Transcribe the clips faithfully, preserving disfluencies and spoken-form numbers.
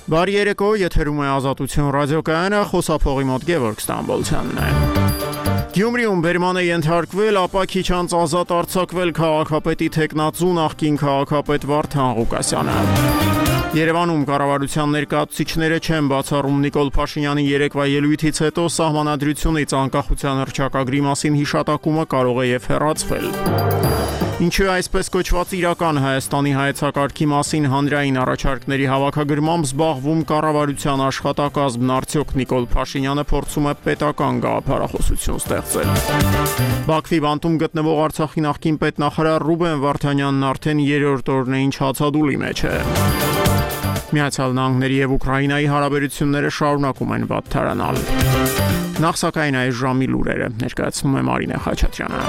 Բարի երեկո, եթերում է Ազատություն ռադիոկայանը, խոսափողի մոտ Գևորգ Ստամբոլցյանն է։ Գյումրիում բերման է ենթարկվել, ապա քիչ անց ազատ արձակվել քաղաքապետի թեկնածու նախկին քաղաքապետ Վարդան Ղուկասյանը։ Երևանում կառավարության ներկայացուցիչները չեն բացառում Նիկոլ Փաշինյանի երեկվա ելույթից հետո սահմանադրությունից անկախության հռչակագրի մասին հիշատակումը կարող է եւ հեռացվել։ Ինչու այսպես կոչված իրական Հայաստանի հայեցակարգի մասին հանրային առաջարկների հավաքագրմամբ զբաղվում կառավարության աշխատակազմն, արդյոք Նիկոլ Փաշինյանը փորձում է պետական գաղափարախոսություն ստեղծել։ Բաքվի բանտում գտնվող Արցախի նախկին պետնախարար Ռուբեն Վարդանյանն արդեն երրորդ օրն է ինչ հացադուլի մեջ է։ Միացյալ Նահանգների եւ Ուկրաինայի հարաբերությունները շարունակում են վատթարանալ։ Նախ սակայն այս ժամի լուրերը ներկայացնում է Մարինե Խաչատրյանը։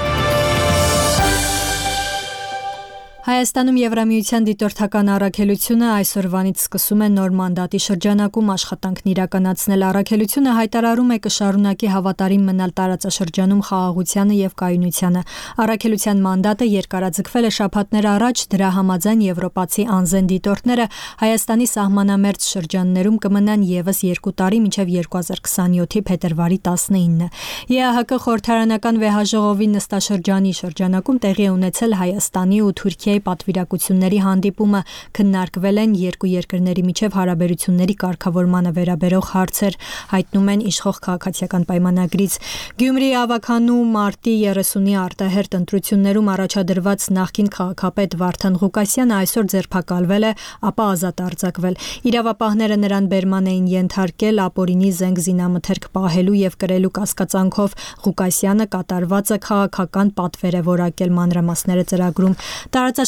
Հայաստանում Եվրամիության դիտորդական առաքելությունը այսօրվանից սկսում է նոր մանդատի շրջանակում աշխատանքն իրականացնել։ Առաքելությունը հայտարարում է կշարունակի հավատարիմ մնալ տարածաշրջանում խաղաղությանը եւ կայունությանը։ Առաքելության մանդատը երկարաձգվել է շաբաթներ առաջ, դրա համաձայն եվրոպացի անզեն դիտորդները Հայաստանի սահմանամերձ շրջաններում կմնան եւս երկու տարի մինչեւ երկու հազար քսանյոթի փետրվարի տասնինը։ ԵԱՀԿ խորհրդարանական վեհաժողովի նստաշրջանի շրջանակում տեղի է ունեցել Հայաստանի ու Թուրքիայի պատվիրակությունների հանդիպումը, քննարկվել են երկու երկրների միջև հարաբերությունների կարգավորմանը վերաբերող հարցեր, հայտնում են իշխող քաղաքացիական պայմանագրից։ Գյումրիի ավագանու մարտի երեսունի արտահերթ ընտրություններում առաջադրված նախկին քաղաքապետ Վարդան Ղուկասյանը այսօր ձերբակալվել է, ապա ազատ արձակվել։ Իրավապահները նրան բերման էին ենթարկել ապօրինի զենք զինամթերք պահելու եւ կրելու կասկածանքով։ Ղուկասյանը կատարվածը քաղաքական պատվեր է որակել, մանրամասները ծրագրում։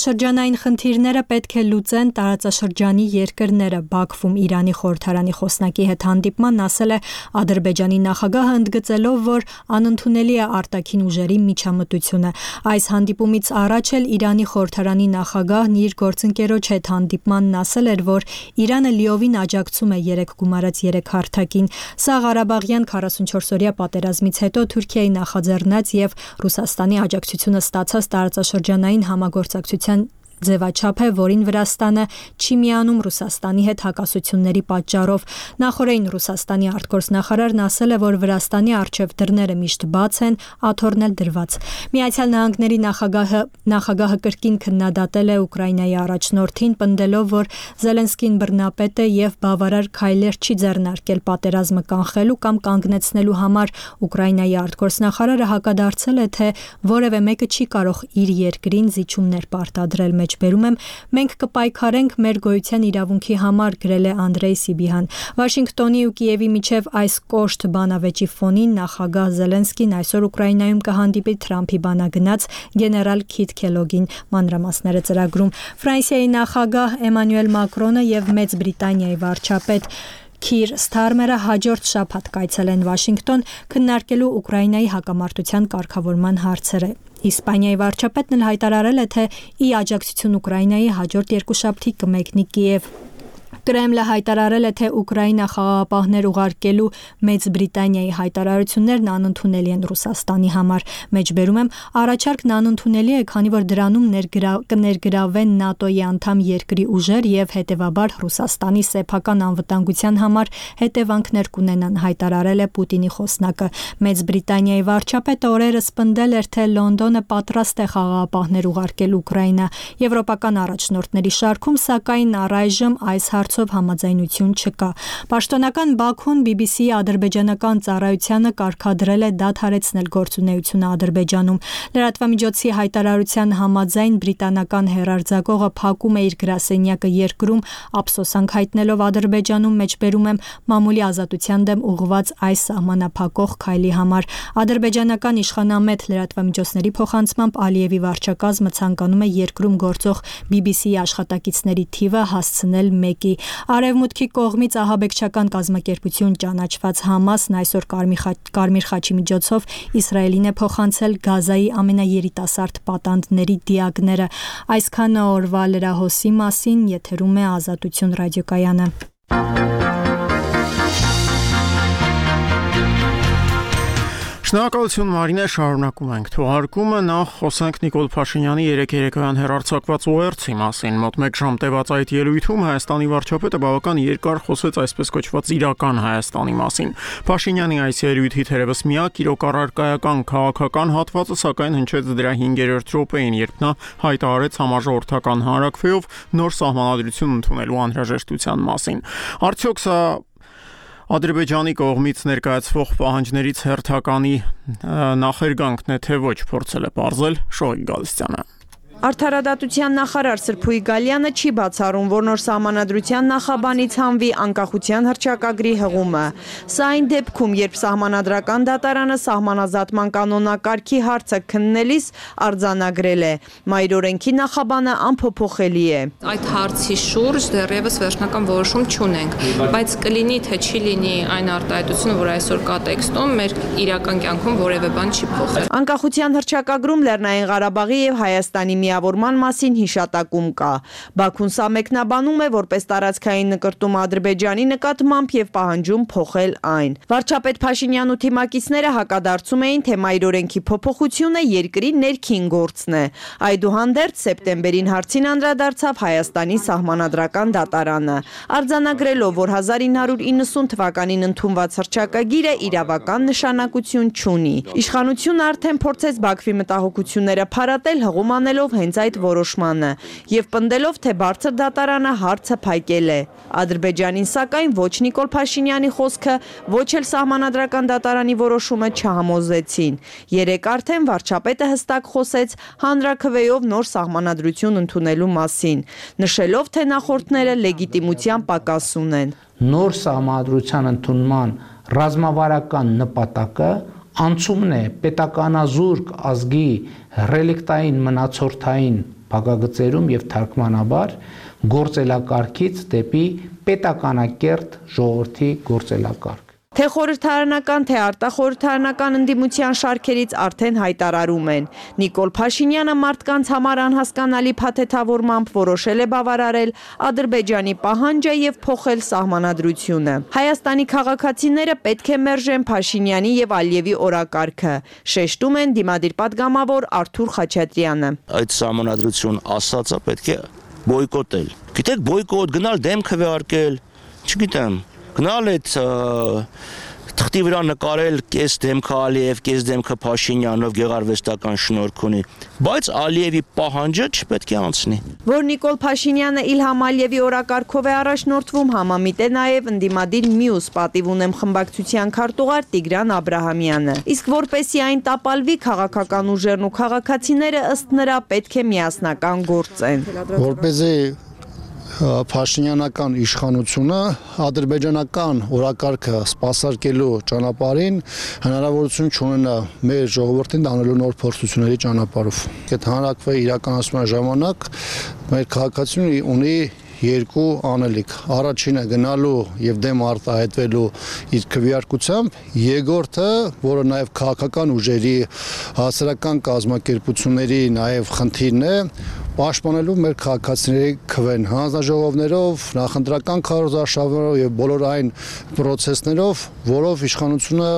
Տարածաշրջանային խնդիրները պետք է լուծեն տարածաշրջանի երկրները։ Բաքվում Իրանի խորհրդարանի խոսնակի հետ հանդիպման ասել է Ադրբեջանի նախագահը, ընդգծելով, որ անընդունելի է արտաքին ուժերի միջամտությունը։ Այս հանդիպումից առաջ էլ Իրանի խորհրդարանի նախագահն իր գործընկերոջ հետ հանդիպմանն ասել էր, որ Իրանը լիովին աջակցում է երեք գումարած երեք հարթակին։ Սա Ղարաբաղյան քառասունչորսօրյա պատերազմից հետո Թուրքիայի նախաձեռնած եւ Ռուսաստանի աջակցությունը ստացած տարածաշրջանային համագործակցության ձևաչափ է, որին Վրաստանը չի միանում Ռուսաստանի հետ հակասությունների պատճառով։ Նախորդին Ռուսաստանի արտգործնախարարն ասել է, որ Վրաստանի առջև դռները միշտ բաց են, աթոռն էլ դրված։ Միացյալ Նահանգների նախագահը նախագահը կրկին քննադատել է Ուկրաինայի առաջնորդին, պնդելով, որ Զելենսկին բռնապետ է եւ բավարար քայլեր չի ձեռնարկել պատերազմը կանխելու կամ կանգնեցնելու համար։ Ուկրաինայի արտգործնախարարը հակադարձել է, թե որևէ մեկը չի կարող իր երկրին զիջումներ պարտադրել։ Բերում եմ, մենք կպայքարենք մեր գոյության իրավունքի համար, գրել է Անդրեյ Սիբիհան։ Վաշինգտոնի ու Կիևի միջև այս կոշտ բանավեճի ֆոնին նախագահ Զելենսկին այսօր Ուկրաինայում կհանդիպի Թրամփի բանագնաց գեներալ Քիթ Քելոգին, մանրամասները ծրագրում։ Ֆրանսիայի նախագահ Էմանուել Մակրոնը եւ Մեծ Բրիտանիայի վարչապետ Քիր Սթարմերը հաջորդ շաբաթ կայցելեն Վաշինգտոն քննարկելու Ուկրաինայի հակամարտության կարգավորման հարցերը։ Իսպանիայի վարչապետն էլ հայտարարել է, թե ի աջակցություն Ուկրաինայի հաջորդ երկուշաբթի կմեկնի Կիև։ Կրեմլը հայտարարել է, թե Ուկրաինա խաղաղապահներ ուղարկելու Մեծ Բրիտանիայի հայտարարություններն անընդունելի են Ռուսաստանի համար։ Մեջբերում եմ, առաջարկն անընդունելի է, քանի որ դրանում ներգրա, կներգրավեն ՆԱՏՕ-ի անդամ երկրի ուժեր եւ հետեւաբար Ռուսաստանի սեփական անվտանգության համար հետևանքներ կունենան, հայտարարել է Պուտինի խոսնակը։ Մեծ Բրիտանիայի վարչապետը օրերս պնդել էր, թե Լոնդոնը պատրաստ է խաղաղապահներ ուղարկել Ուկրաինա։ Եվրոպական առաջնորդների շարքում, սակայն առայժմ այս հարցով համաձայնություն չկա։ Պաշտոնական Բաքուն բի բի սի-ի ադրբեջանական ծառայությանը կարգադրել է դադարեցնել գործունեությունը Ադրբեջանում։ Լրատվամիջոցի հայտարարության համաձայն բրիտանական հեռարձակողը փակում է իր գրասենյակը երկրում, ափսոսանք հայտնելով Ադրբեջանում, մեջբերում եմ, մամուլի ազատության դեմ ուղղված այս սահմանափակող քայլի համար։ Ադրբեջանական իշխանամետ լրատվամիջոցների փոխանցմամբ Ալիևի վարչակազմը ցանկանում է երկրում գործող բի բի սի-ի աշխատակիցների թիվը հասցնել մեկի։ Արևմուտքի կողմից ահաբեկչական կազմակերպություն ճանաչված Համասն այսօր Կարմիր խաչի միջոցով Իսրայելին է փոխանցել Գազայի ամենաերիտասարդ պատանդների դիակները։ Այսքանը օրվա լրահոսի մասին, եթերում է Ազատություն ռադիոկայանը։ Շնորհակալություն Մարինե, շարունակում ենք թողարկումը, նախ խոսենք Նիկոլ Փաշինյանի երեկ երեկոյան հեռարձակված ուղերձի մասին։ Մոտ մեկ ժամ տևած այդ ելույթում Հայաստանի վարչապետը բավական երկար խոսեց այսպես կոչված իրական Հայաստանի մասին։ Փաշինյանի այս ելույթի թերևս միակ իրոք առարկայական քաղաքական հատվածը սակայն հնչեց դրա հինգերորդ րոպեին, երբ նա հայտարարեց համաժողովրդական հանրաքվեով նոր սահմանադրություն ընդունելու անհրաժեշտության մասին։ Արդյոք սա Ադրբեջանի կողմից ներկայացվող պահանջներից հերթականի նախերգանքն է, թե ոչ, փորձել է պարզել Շոյիկ Գալստյանը։ Արդարադատության նախարար Սրփուի Գալյանը չի բացառում, որ նոր սահմանադրության նախաբանից հանվի անկախության հռչակագրի հղումը։ Սա այն դեպքում, երբ սահմանադրական դատարանը սահմանազատման կանոնակարգի հարցը քննելիս արձանագրել է, մայրօրենքի նախաբանը անփոփոխելի է։ Այդ հարցի շուրջ դեռևս վերջնական որոշում չունենք, բայց կլինի թե չի լինի այն արտահայտությունը, որ այսօր կա տեքստում, մեր իրական կյանքում որևէ բան չի փոխել։ Անկախության հռչակագրում Լեռնային Ղարաբաղի եւ Հայաստանի միավորման մասին հիշատակում կա։ Բաքուն սա մեկնաբանում է որպես տարածքային նկրտում Ադրբեջանի նկատմամբ եւ պահանջում փոխել այն։ Վարչապետ Փաշինյանն ու թիմակիցները հակադարձում էին, թե մայրօրենքի փոփոխությունը երկրի ներքին գործն է։ Այդուհանդերձ սեպտեմբերին հարցին անդրադարձավ Հայաստանի սահմանադրական դատարանը, արձանագրելով, որ հազար ինը հարյուր իննսուն թվականին ընդունված հռչակագիրը իրավական նշանակություն չունի։ Իշխանությունը արդեն փորձեց Բաքվի մտահոգությունները փարատել, հղում անելով հենց այդ որոշմանը եւ պնդելով, թե բարձր դատարանը հարցը փակել է։ Ադրբեջանին սակայն ոչ Նիկոլ Փաշինյանի խոսքը, ոչ էլ սահմանադրական դատարանի որոշումը չհամոզեցին։ Երեկ արդեն վարչապետը հստակ խոսեց հանրաքվեով նոր սահմանադրություն ընդունելու մասին, նշելով, թե նախորդները լեգիտիմության պակաս ունեն։ Նոր սահմանադրության ընդունման ռազմավարական նպատակը անցումն է պետականազուրկ ազգի ռելիկտային մնացորդային փակագծերում եւ թարգմանաբար գործելակարգից դեպի պետականակերտ ժողովրդի գործելակարգ։ Թե խորհրդարանական, թե արտախորհրդարանական ընդդիմության շարքերից արդեն հայտարարում են։ Նիկոլ Փաշինյանը մարդկանց համար անհասկանալի փաթեթավորմամբ որոշել է բավարարել Ադրբեջանի պահանջը եւ փոխել սահմանադրությունը։ Հայաստանի քաղաքացիները պետք է մերժեն Փաշինյանի եւ Ալիևի օրակարգը, շեշտում են դիմադիր պատգամավոր Արթուր Խաչատրյանը։ Այդ սահմանադրություն ասածը պետք է բոյկոտել։ Գիտեք, բոյկոտ գնալ դեմ քվեարկել, չգիտեմ, գնալ այդ թղթի վրա նկարել կես դեմքը Ալիև, կես դեմքը Փաշինյանով գեղարվեստական շնորհք ունի, բայց Ալիևի պահանջը չպետք է անցնի։ Որ Նիկոլ Փաշինյանը Իլհամ Ալիևի օրակարգով է առաջնորդվում, համամիտ է նաև ընդդիմադիր մյուս պատիվ ունեմ խմբակցության քարտուղար Տիգրան Աբրահամյանը։ Իսկ որպեսզի այն տապալվի, քաղաքական ուժերն ու քաղաքացիները ըստ նրա պետք է միասնական գործեն։ Որպեսզի Փաշինյանական իշխանությունը ադրբեջանական օրակարգը սպասարկելու ճանապարհին հնարավորություն չունենա մեր ժողովրդին դանելու նոր փորձությունների ճանապարհով։ Այդ հանրաքվեի իրականացման ժամանակ մեր քաղաքացիությունը ունի երկու անելիք։ Առաջինը գնալու եւ դեմ արտահայտվելու իր քվեարկությամբ, երկրորդը, որը նաեւ քաղաքական ուժերի հասարակական կազմակերպությունների նաեւ խնդիրն է, պաշտպանելու մեր քաղաքացիների քվեն հանձնաժողովներով, նախընտրական քարոզարշավերով եւ բոլոր այն process-ներով, որով իշխանությունը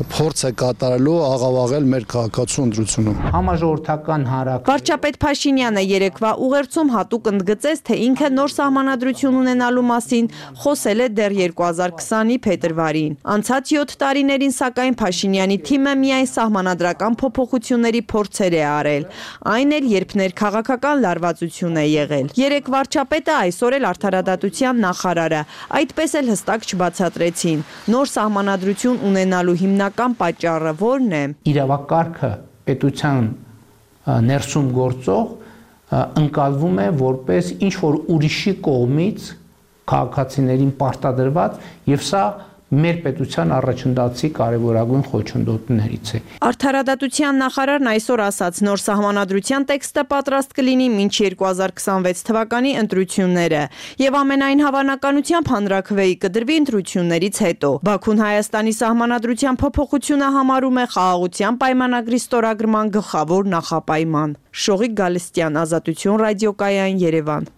փորձ է կատարելու աղավաղել մեր քաղաքացու ընտրությունում։ Համաժողովրդական հանրաքվե Վարչապետ Փաշինյանը երեկվա ուղերձում հատուկ ընդգծեց, թե ինքը նոր սահմանադրություն ունենալու մասին խոսել է դեռ երկու հազար քսանի փետրվարին։ Անցած յոթ տարիներին սակայն Փաշինյանի թիմը միայն սահմանադրական փոփոխությունների փորձեր է արել, այն էլ երբ ներքաղաքական լարվածություն է եղել։ Երեք վարչապետը, այսօր էլ արդարադատության նախարարը այդպես էլ հստակ չբացատրեցին։ Նոր սահմանադրություն ունենալու հիմնական պատճառը ո՞րն է։ Իրավակարգը պետության ներսում գործող ընկալվում է որպես ինչ որ ուրիշի կողմից քաղաքացիներին պարտադրված եւ սա մեր պետության առաջնդացի կարևորագույն խոչընդոտներից է։ Արդարադատության նախարարն այսօր ասաց, նոր սահմանադրության տեքստը պատրաստ կլինի մինչ երկու հազար քսանվեց թվականի ընտրությունները եւ ամենայն հավանականությամբ հանրաքվեի կդրվի ընտրություններից հետո։ Բաքուն Հայաստանի սահմանադրության փոփոխությունը համարում է խաղաղության պայմանագրի ստորագրման գլխավոր նախապայման։ Շողիկ Գալստյան, Ազատություն ռադիոկայան, Երևան։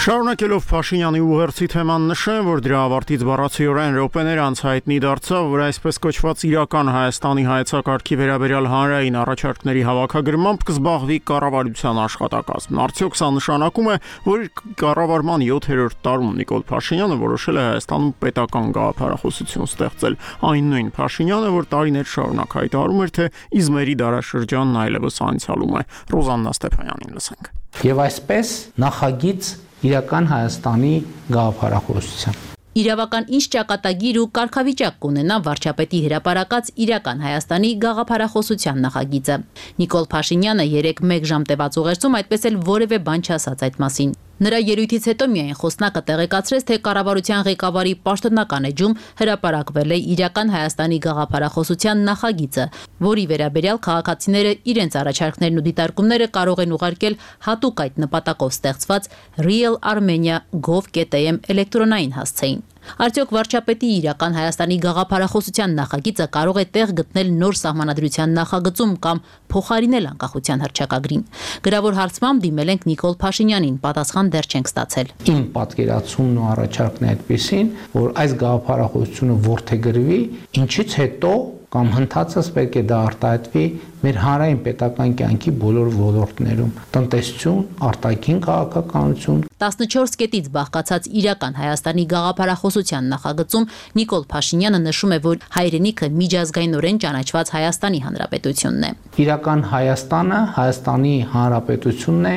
Շարունակելով Փաշինյանի ուղերձի թեման նշեմ, որ դրա ավարտից բառացիորեն րոպեներ անց հայտնի դարձավ, որ այսպես կոչված իրական Հայաստանի հայեցակարգի վերաբերյալ հանրային առաջարկների հավաքագրմամբ կզբաղվի կառավարության աշխատակազմն։ Արդյոք սա նշանակում է, որ կառավարման յոթերորդ տարում Նիկոլ Փաշինյանը որոշել է Հայաստանում պետական գաղափարախոսություն ստեղծել, այն նույն Փաշինյանը, որ տարիներ շարունակ հայտարարում էր, թե իզմերի դարաշրջանն այլևս անցյալում է։ Ռոզաննա Ստեփանյանին լսենք։ Եվ այսպես նախագիծ իրական Հայաստանի գաղափարախոսության։ Իրավական ինչ ճակատագիր ու կարգավիճակ կունենա վարչապետի հրապարակած իրական Հայաստանի գաղափարախոսության նախագիծը։ Նիկոլ Փաշինյանը երեկ մեկ ժամ տևած ուղերձում այդպես էլ որևէ բան չասաց այդ մասին։ Նրա ելույթից հետո միայն խոսնակը տեղեկացրեց, թե կառավարության ղեկավարի պաշտոնական էջում հրապարակվել է իրական Հայաստանի գաղափարախոսության նախագիծը, որի վերաբերյալ քաղաքացիները իրենց առաջարկներն ու դիտարկումները կարող են ուղարկել հատուկ այդ նպատակով ստեղծված real armenia gov dot am էլեկտրոնային հասցեին։ Արդյոք վարչապետի իրական Հայաստանի գաղափարախոսության նախագիծը կարող է տեղ գտնել նոր սահմանադրության նախագծում կամ փոխարինել անկախության հռչակագրին։ Գրավոր հարցմամբ դիմել ենք Նիկոլ Փաշինյանին, պատասխան դեռ չենք ստացել։ Իմ պատկերացումն ու առաջարկն է այդպեսին, որ այս գաղափարախոսությունը որդեգրվի, ինչից հետո կամ հնդածս պետք է դա արտահայտվի մեր հանրային պետական կյանքի բոլոր ոլորտներում՝ տնտեսություն, արտաքին քաղաքականություն։ տասնչորս կետից բաղկացած իրական Հայաստանի գաղափարախոսության նախագծում Նիկոլ Փաշինյանը նշում է, որ հայրենիքը միջազգայինորեն ճանաչված Հայաստանի Հանրապետությունն է։ Իրական Հայաստանը Հայաստանի Հանրապետությունն է,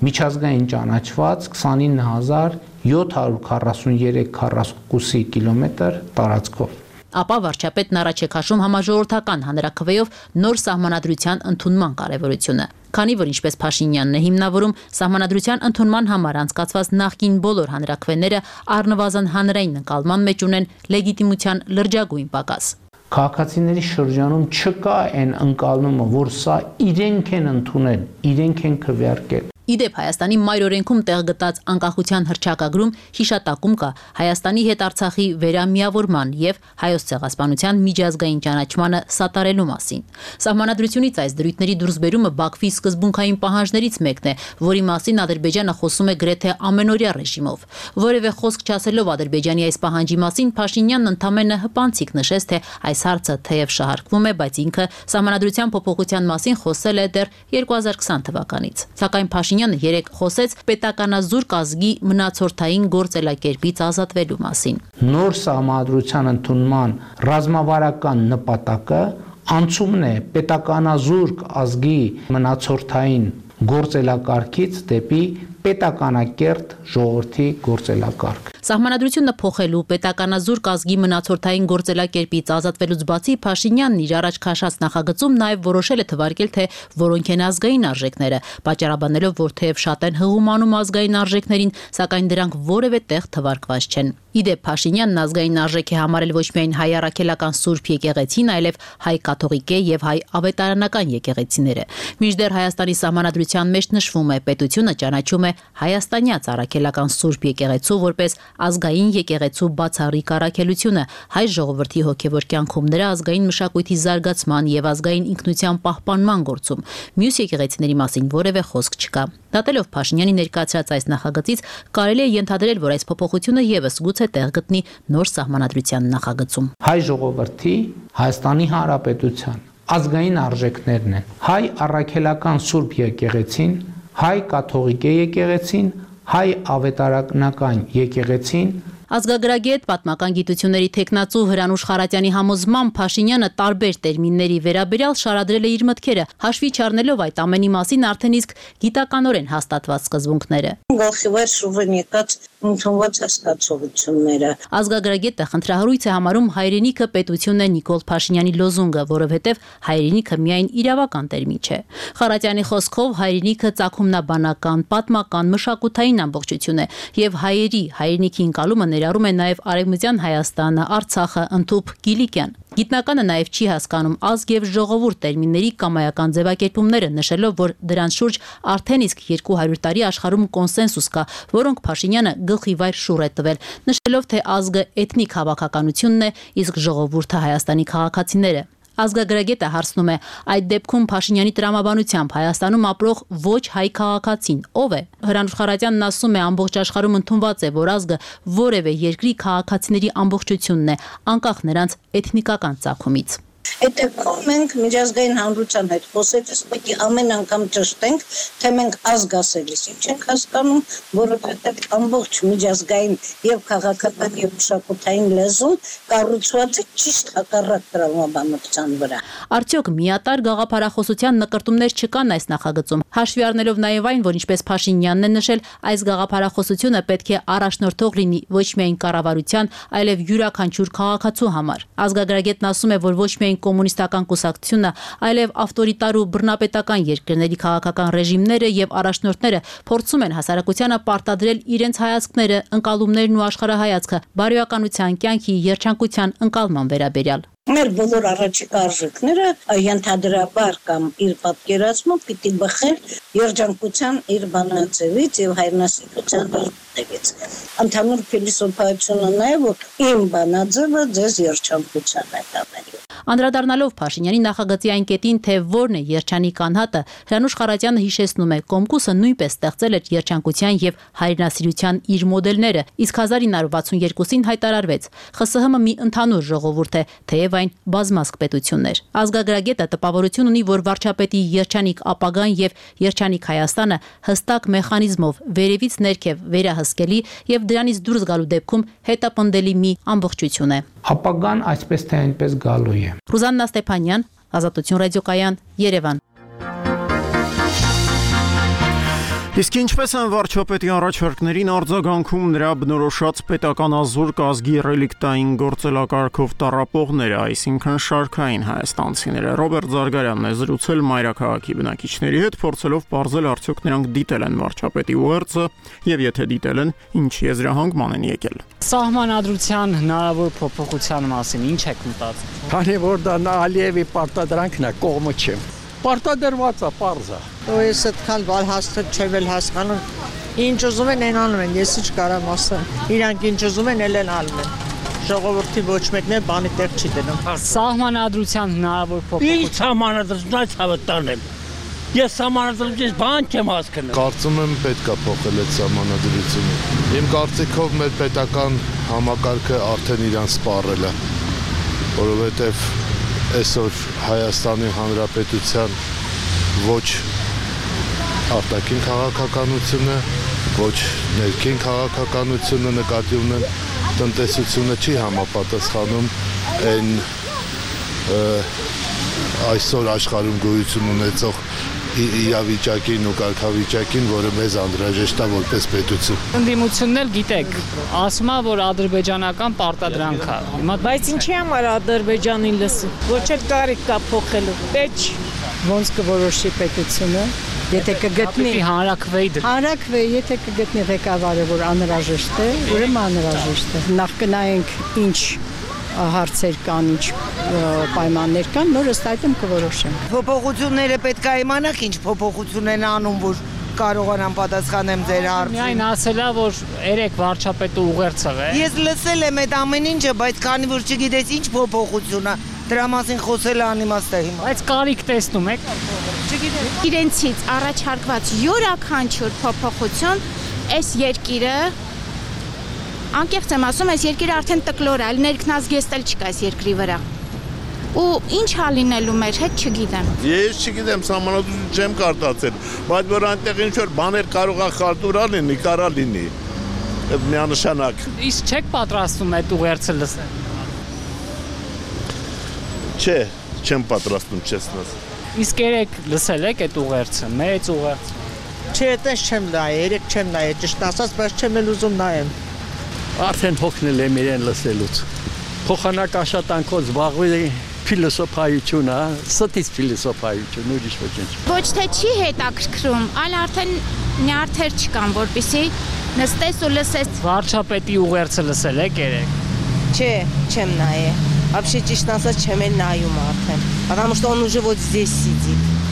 միջազգային ճանաչված քսանինը հազար յոթ հարյուր քառասուններեք քառակուսի կիլոմետր տարածքով։ Ապա վարչապետն առաջ է քաշում համաժողովրդական հանրաքվեով նոր սահմանադրության ընդունման կարևորությունը։ Քանի որ ինչպես Փաշինյանն է հիմնավորում, սահմանադրության ընդունման համար անցկացված նախկին բոլոր հանրաքվեները առնվազն հանրային ընկալման մեջ ունեն լեգիտիմության լրջագույն պակաս։ Քաղաքացիների շրջանում չկա այն ընկալումը, որ սա իրենք են ընդունել, իրենք են քվեարկել։ Իդեպ Հայաստանի մայր օրենքում տեղ գտած անկախության հռչակագրում հիշատակում կա Հայաստանի հետ Արցախի վերամիավորման եւ Հայոց ցեղասպանության միջազգային ճանաչմանը սատարելու մասին։ Սահմանադրությունից այս դրույթների դուրսբերումը Բաքվի սկզբունքային պահանջներից մեկն է, որի մասին Ադրբեջանը խոսում է գրեթե ամենօրյա ռեժիմով։ Որևէ խոսք չասելով Ադրբեջանի այս պահանջի մասին, Փաշինյանն ընդամենը հպանցիկ նշեց, թե այս հարցը թեև շահարկվում է, բայց ինքը սահմանադրության փոփոխության մասին խոսել է դեռ երկու հազար քսան թվականից։ Սակայն Փաշինյանը երեկ խոսեց պետականազուրկ ազգի մնացորդային գործելակերպից ազատվելու մասին։ Նոր սահմանադրության ընդունման ռազմավարական նպատակը անցումն է պետականազուրկ ազգի մնացորդային գործելակարգից դեպի պետականակերտ ժողովրդի գործելակարգ։ Սահմանադրությունը փոխելու պետականազուրկ ազգի մնացորդային գործելակերպից ազատվելուց բացի Փաշինյանն իր առաջ քաշած նախագծում նաև որոշել է թվարկել, թե որոնք են ազգային արժեքները, պատճառաբանելով, որ թեև շատ են հղումանում ազգային արժեքներին, սակայն դրանք որևէ տեղ թվարկված չեն։ Իդեպ Փաշինյանն ազգային արժեք է համարել ոչ միայն հայ առաքելական Սուրբ եկեղեցին, այլև հայ կաթողիկե եւ հայ ավետարանական եկեղեցիները։ Մինչդեռ Հայաստանի սահմանադրության մեջ նշվում է, պետությունը ճանաչում է հայաստանյաց առաքելական Սուրբ եկեղեցու որպես ազգային եկեղեցու բացառիկ առաքելությունը հայ ժողովրդի հոգևոր կյանքում նրա ազգային մշակույթի զարգացման եւ ազգային ինքնության պահպանման գործում։ Մյուս եկեղեցիների մասին որևէ խոսք չկա։ Դատելով Փաշինյանի ներկայացրած այս նախագծից կարելի է ենթադրել, որ այս փոփոխությունը եւս գուցե տեղ գտնի նոր սահմանադրության նախագծում։ Հայ ժողովրդի Հայաստանի Հանրապետության ազգային արժեքներն են հայ առաքելական Սուրբ եկեղեցին, հայ կաթողիկե եկեղեցին, հայ ավետարանական եկեղեցին։ Ազգագրագետ պատմական գիտությունների թեկնածու Հրանուշ Խարատյանի համոզմամբ Փաշինյանը տարբեր տերմինների վերաբերյալ շարադրել է իր մտքերը, հաշվի չառնելով այդ ամենի մասին արդեն իսկ գիտականորեն հաստատված սկզբունքները։ Գլխիվեր շուռն եկած ընդունված հաստատությունները։ Ազգագրագետը խնդրահարույց է համարում հայրենիքը պետությունն է Նիկոլ Փաշինյանի լոզունգը, որովհետև հայրենիքը միայն իրավական տերմին չէ։ Խարատյանի խոսքով հայրենիքը ծագումնաբանական, պատմական, մշակութային ամբողջություն է եւ հայերի հայրենիքի ընկալումը ներառում է նաև Արևմտյան Հայաստանը, Արցախը, ընդհուպ Կիլիկյան։ Գիտնականը նաև չի հասկանում ազգ եւ ժողովուրդ տերմինների կամայական ձևակերպումները, նշելով, որ դրանց շուրջ արդեն իսկ երկու հարյուր տարի աշխարհում կոնսենսուս կա, որոնք Փաշինյանը գլխիվայր շուռ է տվել, նշելով, թե ազգը էթնիկ հավաքականությունն է, իսկ ժողովուրդը Հայաստանի քաղաքացիները։ Ազգագրագետը հարցնում է, այդ դեպքում Փաշինյանի տրամաբանությամբ Հայաստանում ապրող ոչ հայ քաղաքացին ով է։ Հրանուշ Խարատյանն ասում է, ամբողջ աշխարհում ընդունված է, որ ազգը որևէ երկրի քաղաքացիների ամբողջությունն է, անկախ նրանց էթնիկական ծագումից։ Այդ դեպքում մենք միջազգային հանրության հետ խոսելիս պետք է ամեն անգամ ճշտենք, թե մենք ազգասերից չենք հասկանում, որովհետև ամբողջ միջազգային եւ քաղաքական եւ մշակութային լեզուն կառուցված է ճիշտ հակառակ տրամաբանության վրա։ Արդյոք միատարր գաղափարախոսության նկրտումներ չկան այս նախագծում, հաշվի առնելով նաեւ այն, որ ինչպես Փաշինյանն է նշել, այս գաղափարախոսությունը պետք է առաջնորդող լինի ոչ միայն կառավարության, այլև յուրաքանչյուր քաղաքացու համար։ Ազգագրագետն ասում է, որ ոչ միայն կոմունիստական կուսակցությունը, այլև ավտորիտար ու բռնապետական երկրների քաղաքական ռեժիմները եւ առաջնորդները փորձում են հասարակությանը պարտադրել իրենց հայացքները, ընկալումներն ու աշխարհայացքը բարոյականության, կյանքի, երջանկության ընկալման վերաբերյալ։ Մեր բոլոր առաջիկա արժեքները ենթադրաբար կամ իր պատկերացմամբ պիտի բխել երջանկության իր բանաձևից եւ հայրենասիրության տեքստից։ Ընդհանուր փիլիսոփայությունը նա է, որ իմ բանաձևը ձեզ երջանկության է տանելու։ Անդրադառնալով Փաշինյանի նախագծի այն կետին, թե որն է երջանիկ անհատը, Հրանուշ Խարատյանը հիշեցնում է, Կոմկուսը նույնպես ստեղծել էր երջանկության եւ հայրենասիրության իր մոդելները, իսկ հազար ինը հարյուր վաթսունյոթին հայտարարվեց։ ԽՍՀՄ մի ընդհանուր ժողովուրդ է, թեև այն բազմազգ պետությունն էր։ Ազգագրագետը տպավորություն ունի, որ վարչապետի երջանիկ ապագան եւ երջանիկ Հայաստանը հստակ մեխանիզմով վերևից ներքև վերահսկելի եւ դրանից դուրս գալու դեպքում հետապնդելի մի ամբողջություն է։ Ապագան այսպես թե այնպես գալու է։ Ռուզաննա Ստեփանյան, Ազատություն ռադիոկայան, Երևան։ Իսկ ինչպես են վարչապետի առաջարկներին արձագանքում նրա բնորոշած պետականազոր կազգի ռելիկտային գործելակարգով տառապողները, այսինքն շարքային հայաստանցիները։ Ռոբերտ Զարգարյանն է զրուցել մայրաքաղաքի բնակիչների հետ, փորձելով պարզել արդյոք նրանք դիտել են վարչապետի ուղերձը եւ եթե դիտել են, ինչ եզրահանգման են եկել։ Սահմանադրության հնարավոր փոփոխության մասին ինչ եք մտածում։ Քանի որ դա Ալիևի պարտադրանքն է, կողմը չեմ։ Պարտադրված է, պարզ է։ Ես այդքան բալ հաստատ չեմ էլ հասկանում։ Ինչ ուզում են այն անում են, ես ինչ կարամ ասեմ։ Իրանք ինչ ուզում են, էլ են անում են։ Ժողովրդի ոչ մեկն էլ բանի տեղ չի դնում։ Սահմանադրության հնարավոր փոփոխություն։ Ինչ սահմանադրությունից հավատանեմ։ Ես սահմանադրությունից բան չեմ հասկանում։ Կարծում եմ պետք է փոխել այդ սահմանադրությունը։ Իմ կարծիքով մեր պետական համակարգը արդեն իրան սպառել է, որովհետև այսօր Հայաստանի Հանրապետության ոչ արտաքին քաղաքականությունը, ոչ ներքին քաղաքականությունը նկատի ունեն տնտեսությունը չի համապատասխանում այն այսօր աշխարհում գոյություն ունեցող իրավիճակին ու կարգավիճակին, որը մեզ անհրաժեշտ է որպես պետություն։ Ընդդիմությունն էլ գիտեք, ասում է, որ ադրբեջանական պարտադրանք է։ Բայց ինչի համար Ադրբեջանին լսում։ Ոչ էլ կարիք կա փոխելու։ Պետք ոնց կորոշի պետությունը, եթե կգտնի հանրակրվեի դր։ Հանրակրվեի, եթե կգտնի ղեկավարը, որ անհրաժեշտ է, ուրեմն անհրաժեշտ է։ Նախ կնայենք ինչ հարցեր կան, ինչ պայմաններ կան, նոր ըստ այդմ կորոշեմ։ Փոփոխությունները պետք է իմանաք, ինչ փոփոխություն են անում, որ կարողանամ պատասխանեմ ձեր հարցին։ Միայն ասելա, որ երեք վարչապետը ուղերձ եղել։ Ես լսել եմ այդ ամեն ինչը, բայց քանի որ չգիտես ինչ փոփոխություն է, դրա մասին խոսելը անիմաստ է հիմա։ Բայց կարիք տեսնում եք։ Չգիտեմ։ Իրենցից առաջարկված յուրաքանչյուր փոփոխություն այս երկիրը անկեղծ եմ ասում, այս երկիրը արդեն տկլոր է, այլ ներքնազգեստ չկա այս երկրի վրա։ Ու ինչ ա լինելու մեր հետ չգիտեմ։ Ես չգիտեմ, սահմանադրություն չեմ կարդացել, բայց որ այնտեղ ինչ որ բաներ կարող է խարտուրա լինի, կարա լինի։ Այդ միանշանակ։ Իսկ չեք պատրաստում այդ ուղերձը լսել։ Չէ, չեմ պատրաստում, չեսնաս։ Իսկ երեք լսել եք այդ ուղերձը, մեծ ուղերձ։ Չէ, այդպես չեմ նայել, երեք չեմ նայել, ճիշտ ասած, բայց չեմ էլ ուզում նայեմ։ Արդեն հոգնել եմ իրեն լսելուց։ Փոխանակ աշխատանքով զբաղվել փիլիսոփայությունը, ստից փիլիսոփայություն, ուրիշ ոչինչ։ Ոչ թե չի հետաքրքրում, այլ արդեն նյարդեր չկան, որպեսզի նստես ու лесես։ Վարչապետի ուղերձը լսել եք երեք։ Չէ, չեմ նայել։ Вообще ճիշտ ասած չեմ էլ նայում արդեն, потому что он уже вот здесь сидит։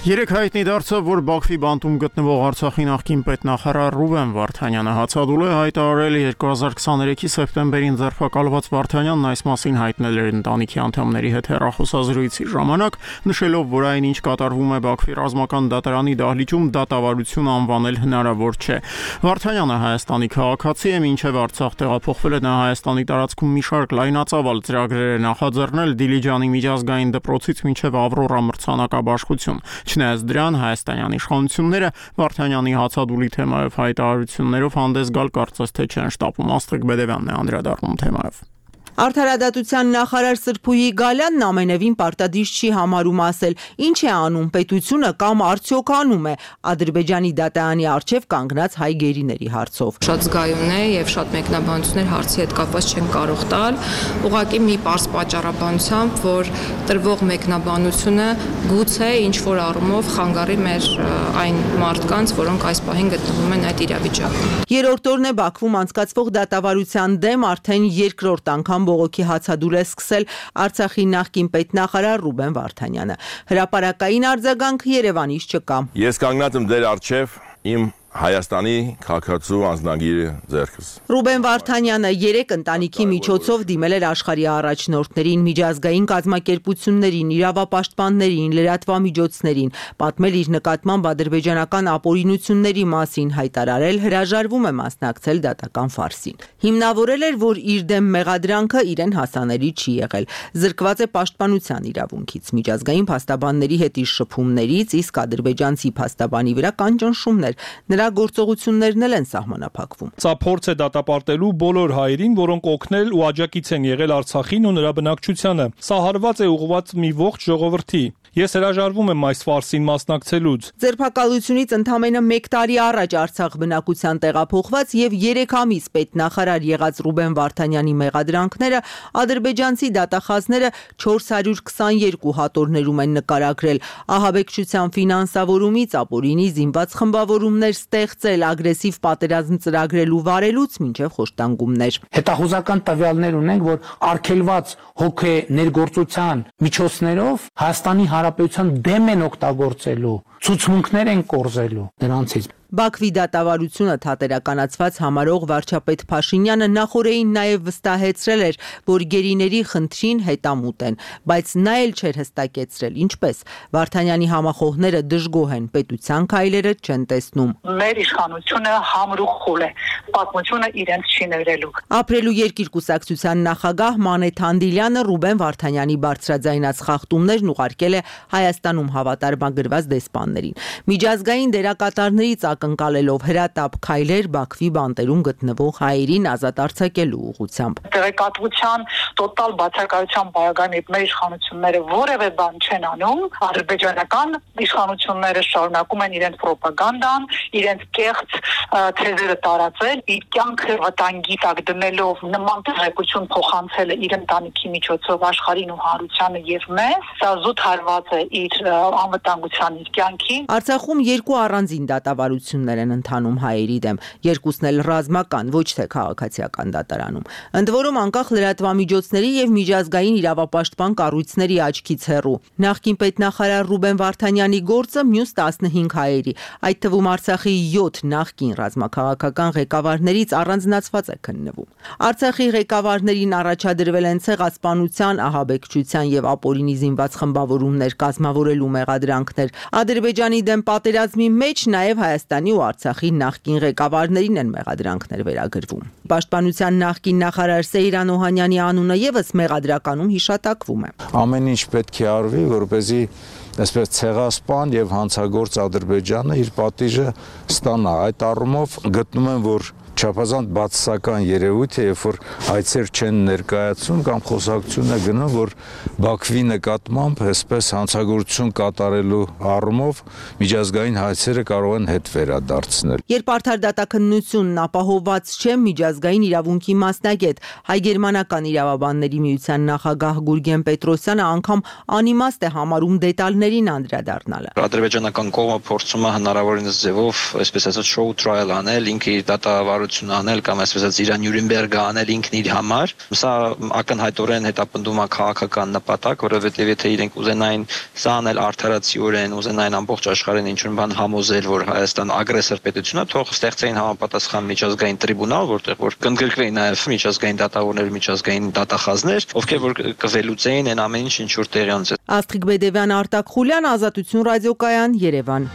Երեք հայտնի դարձավ, որ Բաքվի բանտում գտնվող Արցախի նախկին պետնախարար Ռուբեն Վարդանյանը հացադուլ է հայտարարել երկու հազար քսաներեքի սեպտեմբերին ձերբակալված Վարդանյանն այս մասին հայտնել էր ընտանիքի անդամների հետ հեռախոսազրույցի ժամանակ, նշելով, որ այն ինչ կատարվում է Բաքվի ռազմական դատարանի դահլիճում դատավարություն անվանել հնարավոր չէ։ Վարդանյանը Հայաստանի քաղաքացի է, մինչև Արցախ տեղափոխվել է նա Հայաստանի տարածքում մի շարք լայնածավալ ծրագրեր է նախաձեռնել Դիլիջանի միջազգային դպրոցից մինչև Ավրորա մրցանակաբաշխություն։ Չնայած դրան հայաստանյան իշխանությունները Վարդանյանի հացադուլի թեմայով հայտարարություններով հանդես գալ կարծես թե չեն շտապում։ Աստղիկ Բեդևյանն է անդրադառնում թեմայով։ Արդարադատության նախարար Սրփուհի Գալյանն ամենևին պարտադիր չի համարում ասել, ինչ է անում պետությունը կամ արդյոք անում է Ադրբեջանի դատարանի առջև կանգնած հայ գերիների հարցով։ Շատ զգայուն է եւ շատ մեկնաբանություններ հարցի հետ կապված չեն կարող տալ, ուղղակի մի պարզ պատճառաբանությամբ, որ տրվող մեկնաբանությունը գուցե ինչ որ առումով խանգարի մեր այն մարդկանց, որոնք այս պահին գտնվում են այդ իրավիճակում։ Երրորդ օրն է Բաքվում անցկացվող դատավարության դեմ արդեն երկրորդ անգամ բողոքի հացադուլ է սկսել Արցախի նախկին պետնախարար Ռուբեն Վարդանյանը։ Հրապարակային արձագանք Երևանից չկա։ Ես կանգնած եմ ձեր առջև իմ Հայաստանի քաղաքացու անձնագիրը ձեռքս։ Ռուբեն Վարդանյանը երեք ընտանիքի միջոցով դիմել էր աշխարհի առաջնորդներին, միջազգային կազմակերպություններին, իրավապաշտպաններին, լրատվամիջոցներին, պատմել իր նկատմամբ ադրբեջանական ապօրինությունների մասին, հայտարարել հրաժարվում է մասնակցել դատական ֆարսին։ Հիմնավորել էր, որ իր դեմ մեղադրանքը իրեն հասանելի չի եղել, զրկված է պաշտպանության իրավունքից, միջազգային փաստաբանների հետ իր շփումներից, իսկ ադրբեջանցի փաստաբանի վրա կան ճնշումներ։ Նրա գործողություններն էլ են սահմանափակվում։ Սա փորձ է դատապարտելու բոլոր հայերին, որոնք օգնել ու աջակից են եղել Արցախին ու նրա բնակչությանը։ Սա հարված է ուղղված մի ողջ ժողովրդի։ Ես հրաժարվում եմ այս ֆարսին մասնակցելուց։ Ձերբակալությունից ընդամենը մեկ տարի առաջ Արցախ բնակության տեղափոխված եւ երեք ամիս պետնախարար եղած Ռուբեն Վարդանյանի մեղադրանքները ադրբեջանցի դատախազները չորս հարյուր քսաներկու հատորներում են նկարագրել, ահաբեկչության ֆինանսավորումից, ապօրինի զինված խմբավորումներ ստեղծել, ագրեսիվ պատերազմ ծրագրելու վարելուց մինչև խոշտանգումներ։ Հետախուզական տվյալներ ունենք, որ արգելված հոգե ներգործության միջոցներով Հայաստանի Հանրապետության դեմ են օգտագործելու, ցուցմունքներ են կորզելու նրանցից։ Բաքվի դատավարությունը թատերականացված համարող վարչապետ Փաշինյանը նախորդին նաև վստահեցրել էր, որ գերիների խնդրին հետամուտ են, բայց նա էլ չէր հստակեցրել ինչպես։ Վարդանյանի համախոհները դժգոհ են, պետության քայլերը չեն տեսնում։ Մեր իշխանությունը համրուխուլ է, պատմությունը իրենց չի ներելու։ Ապրելու երկիր կուսակցության նախագահ Մանե Թանդիլյանը Ռուբեն Վարդանյանի բարձրաձայնած խախտումներն ուղարկել է Հայաստանում հավատարմագրված դեսպաններին։ Միջազգային դերակատարներից ակնկալելով հրատապ քայլեր Բաքվի բանտերում գտնվող հայերին ազատ արձակելու ուղղությամբ։ Տեղեկատվության տոտալ բացակայության բարակայում մեր իշխանությունները որևէ բան չեն անում, ադրբեջանական իշխանությունները շարունակում են իրենց ռոպագանդան, իրենց կեղծ թեզերը տարածել, իր կյանքը վտանգի տակ դնելով նման տեղեկություն փոխանցելը իր ընտանիքի միջոցով աշխարհին ու հանրությանը եւ մեզ, սա զուտ հարված է իր անվտանգության իր կյանքի։ Արցախում երկու առանձին դատավարություններ են ընթանում հայերի դեմ, երկուսն էլ ռազմական, ոչ թե քաղաքացիական դատարանում։ Ընդ որում անկախ լրատվամիջոցների եւ միջազգային իրավապաշտպան կառույցների աչքից հեռու։ Նախկին պետնախարար Ռուբեն Վարդանյանի գործը մյուս տասնհինգ հայերի, այդ թվում Արցախի յոթ նախկին ռազմաքաղաքական ղեկավարներից առանձնացված է քննվում։ Արցախի ղեկավարներին առաջադրվել են ցեղասպանության, ահաբեկչության եւ ապօրինի զինված խմբավորումներ կազմավորելու մեղադրանքներ։ Ադրբեջանի դեմ պատերազմի մեջ նաև Հայաստանի ու Արցախի նախկին ղեկավարներին են մեղադրանքներ վերագրվում։ Պաշտպանության նախկին նախարար Սեյրան Օհանյանի անունը եւս մեղադրականում հիշատակվում է։ Ամեն ինչ պետք է արվի, որպեսզի այսպես ցեղասպան եւ հանցագործ Ադրբեջանը իր պատիժը ստանա։ Այդ առումով գտնում եմ, որ չափազանց բացասական երևույթ է, երբ որ հայցեր չեն ներկայացում կամ խոսակցությունը գնում, որ Բաքվի նկատմամբ այսպես հանցագործություն կատարելու առումով միջազգային հայցերը կարող են հետ վերադարձնել։ Երբ արդար դատաքննությունն ապահովված չէ, միջազգային իրավունքի մասնագետ հայ-գերմանական իրավաբանների միության նախագահ Գուրգեն Պետրոսյանը անգամ անիմաստ է համարում դետալներին անդրադառնալը։ Ադրբեջանական կողմը փորձում է հնարավորինս ձևով, այսպես ասած, շոու տրայլ անել, ինքը իր դատավար հայտարարություն անել կամ այսպես ասած իր Նյուրնբերգը անել ինքն իր համար։ Սա ակնհայտորեն հետապնդում է քաղաքական նպատակ, որովհետև եթե իրենք ուզենային սա անել արդարացիորեն, ուզենային ամբողջ աշխարհին ինչ-որ բան համոզել, որ Հայաստան ագրեսոր պետություն է, թող ստեղծեին համապատասխան միջազգային տրիբունալ, որտեղ որ կընդգրկվեին նաև միջազգային դատավորներ, միջազգային դատախազներ, ովքեր որ կվելուծեին այն ամեն ինչ, ինչ որ տեղի ունեցել։ Աստղիկ Բեդևյան, Արտակ Խուլյան, Ազատություն ռադիոկայան, Երևան։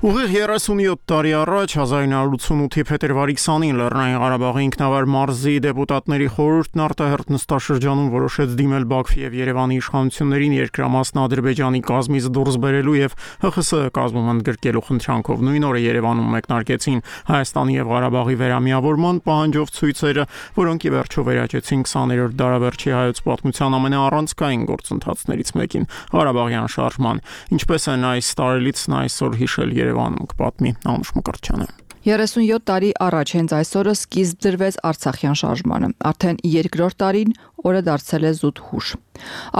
Ուղիղ երեսունյոթ տարի առաջ հազար իննսուն ութսունութի փետրվարի քսանին Լեռնային Ղարաբաղի ինքնավար մարզի դեպուտատների խորհուրդն արտահերթ նստաշրջանում որոշեց դիմել Բաքվի եւ Երևանի իշխանություններին երկրամասն Ադրբեջանի կազմից դուրս բերելու եւ Հ Խ С կազմում ընդգրկելու խնդրանքով։ Նույն օրը Երևանում մեկնարկեցին Հայաստանի եւ Ղարաբաղի վերամիավորման պահանջով ցույցերը, որոնք ի վերջո վերաճեցին քսաներորդ դարավերջի հայոց պատմության ամենաառանցքային գործընթացներից մեկին՝ Ղարաբաղյան շարժման։ Ինչպես են այս տարելիցն այսօր հիշել Երևանում, կպատմի Անուշ Մկրտչյանը։ երեսունյոթ տարի առաջ հենց այսօրը սկիզբ դրվեց Արցախյան շարժմանը։ Արդեն երկրորդ տարին օրը դարձել է զուտ հուշ։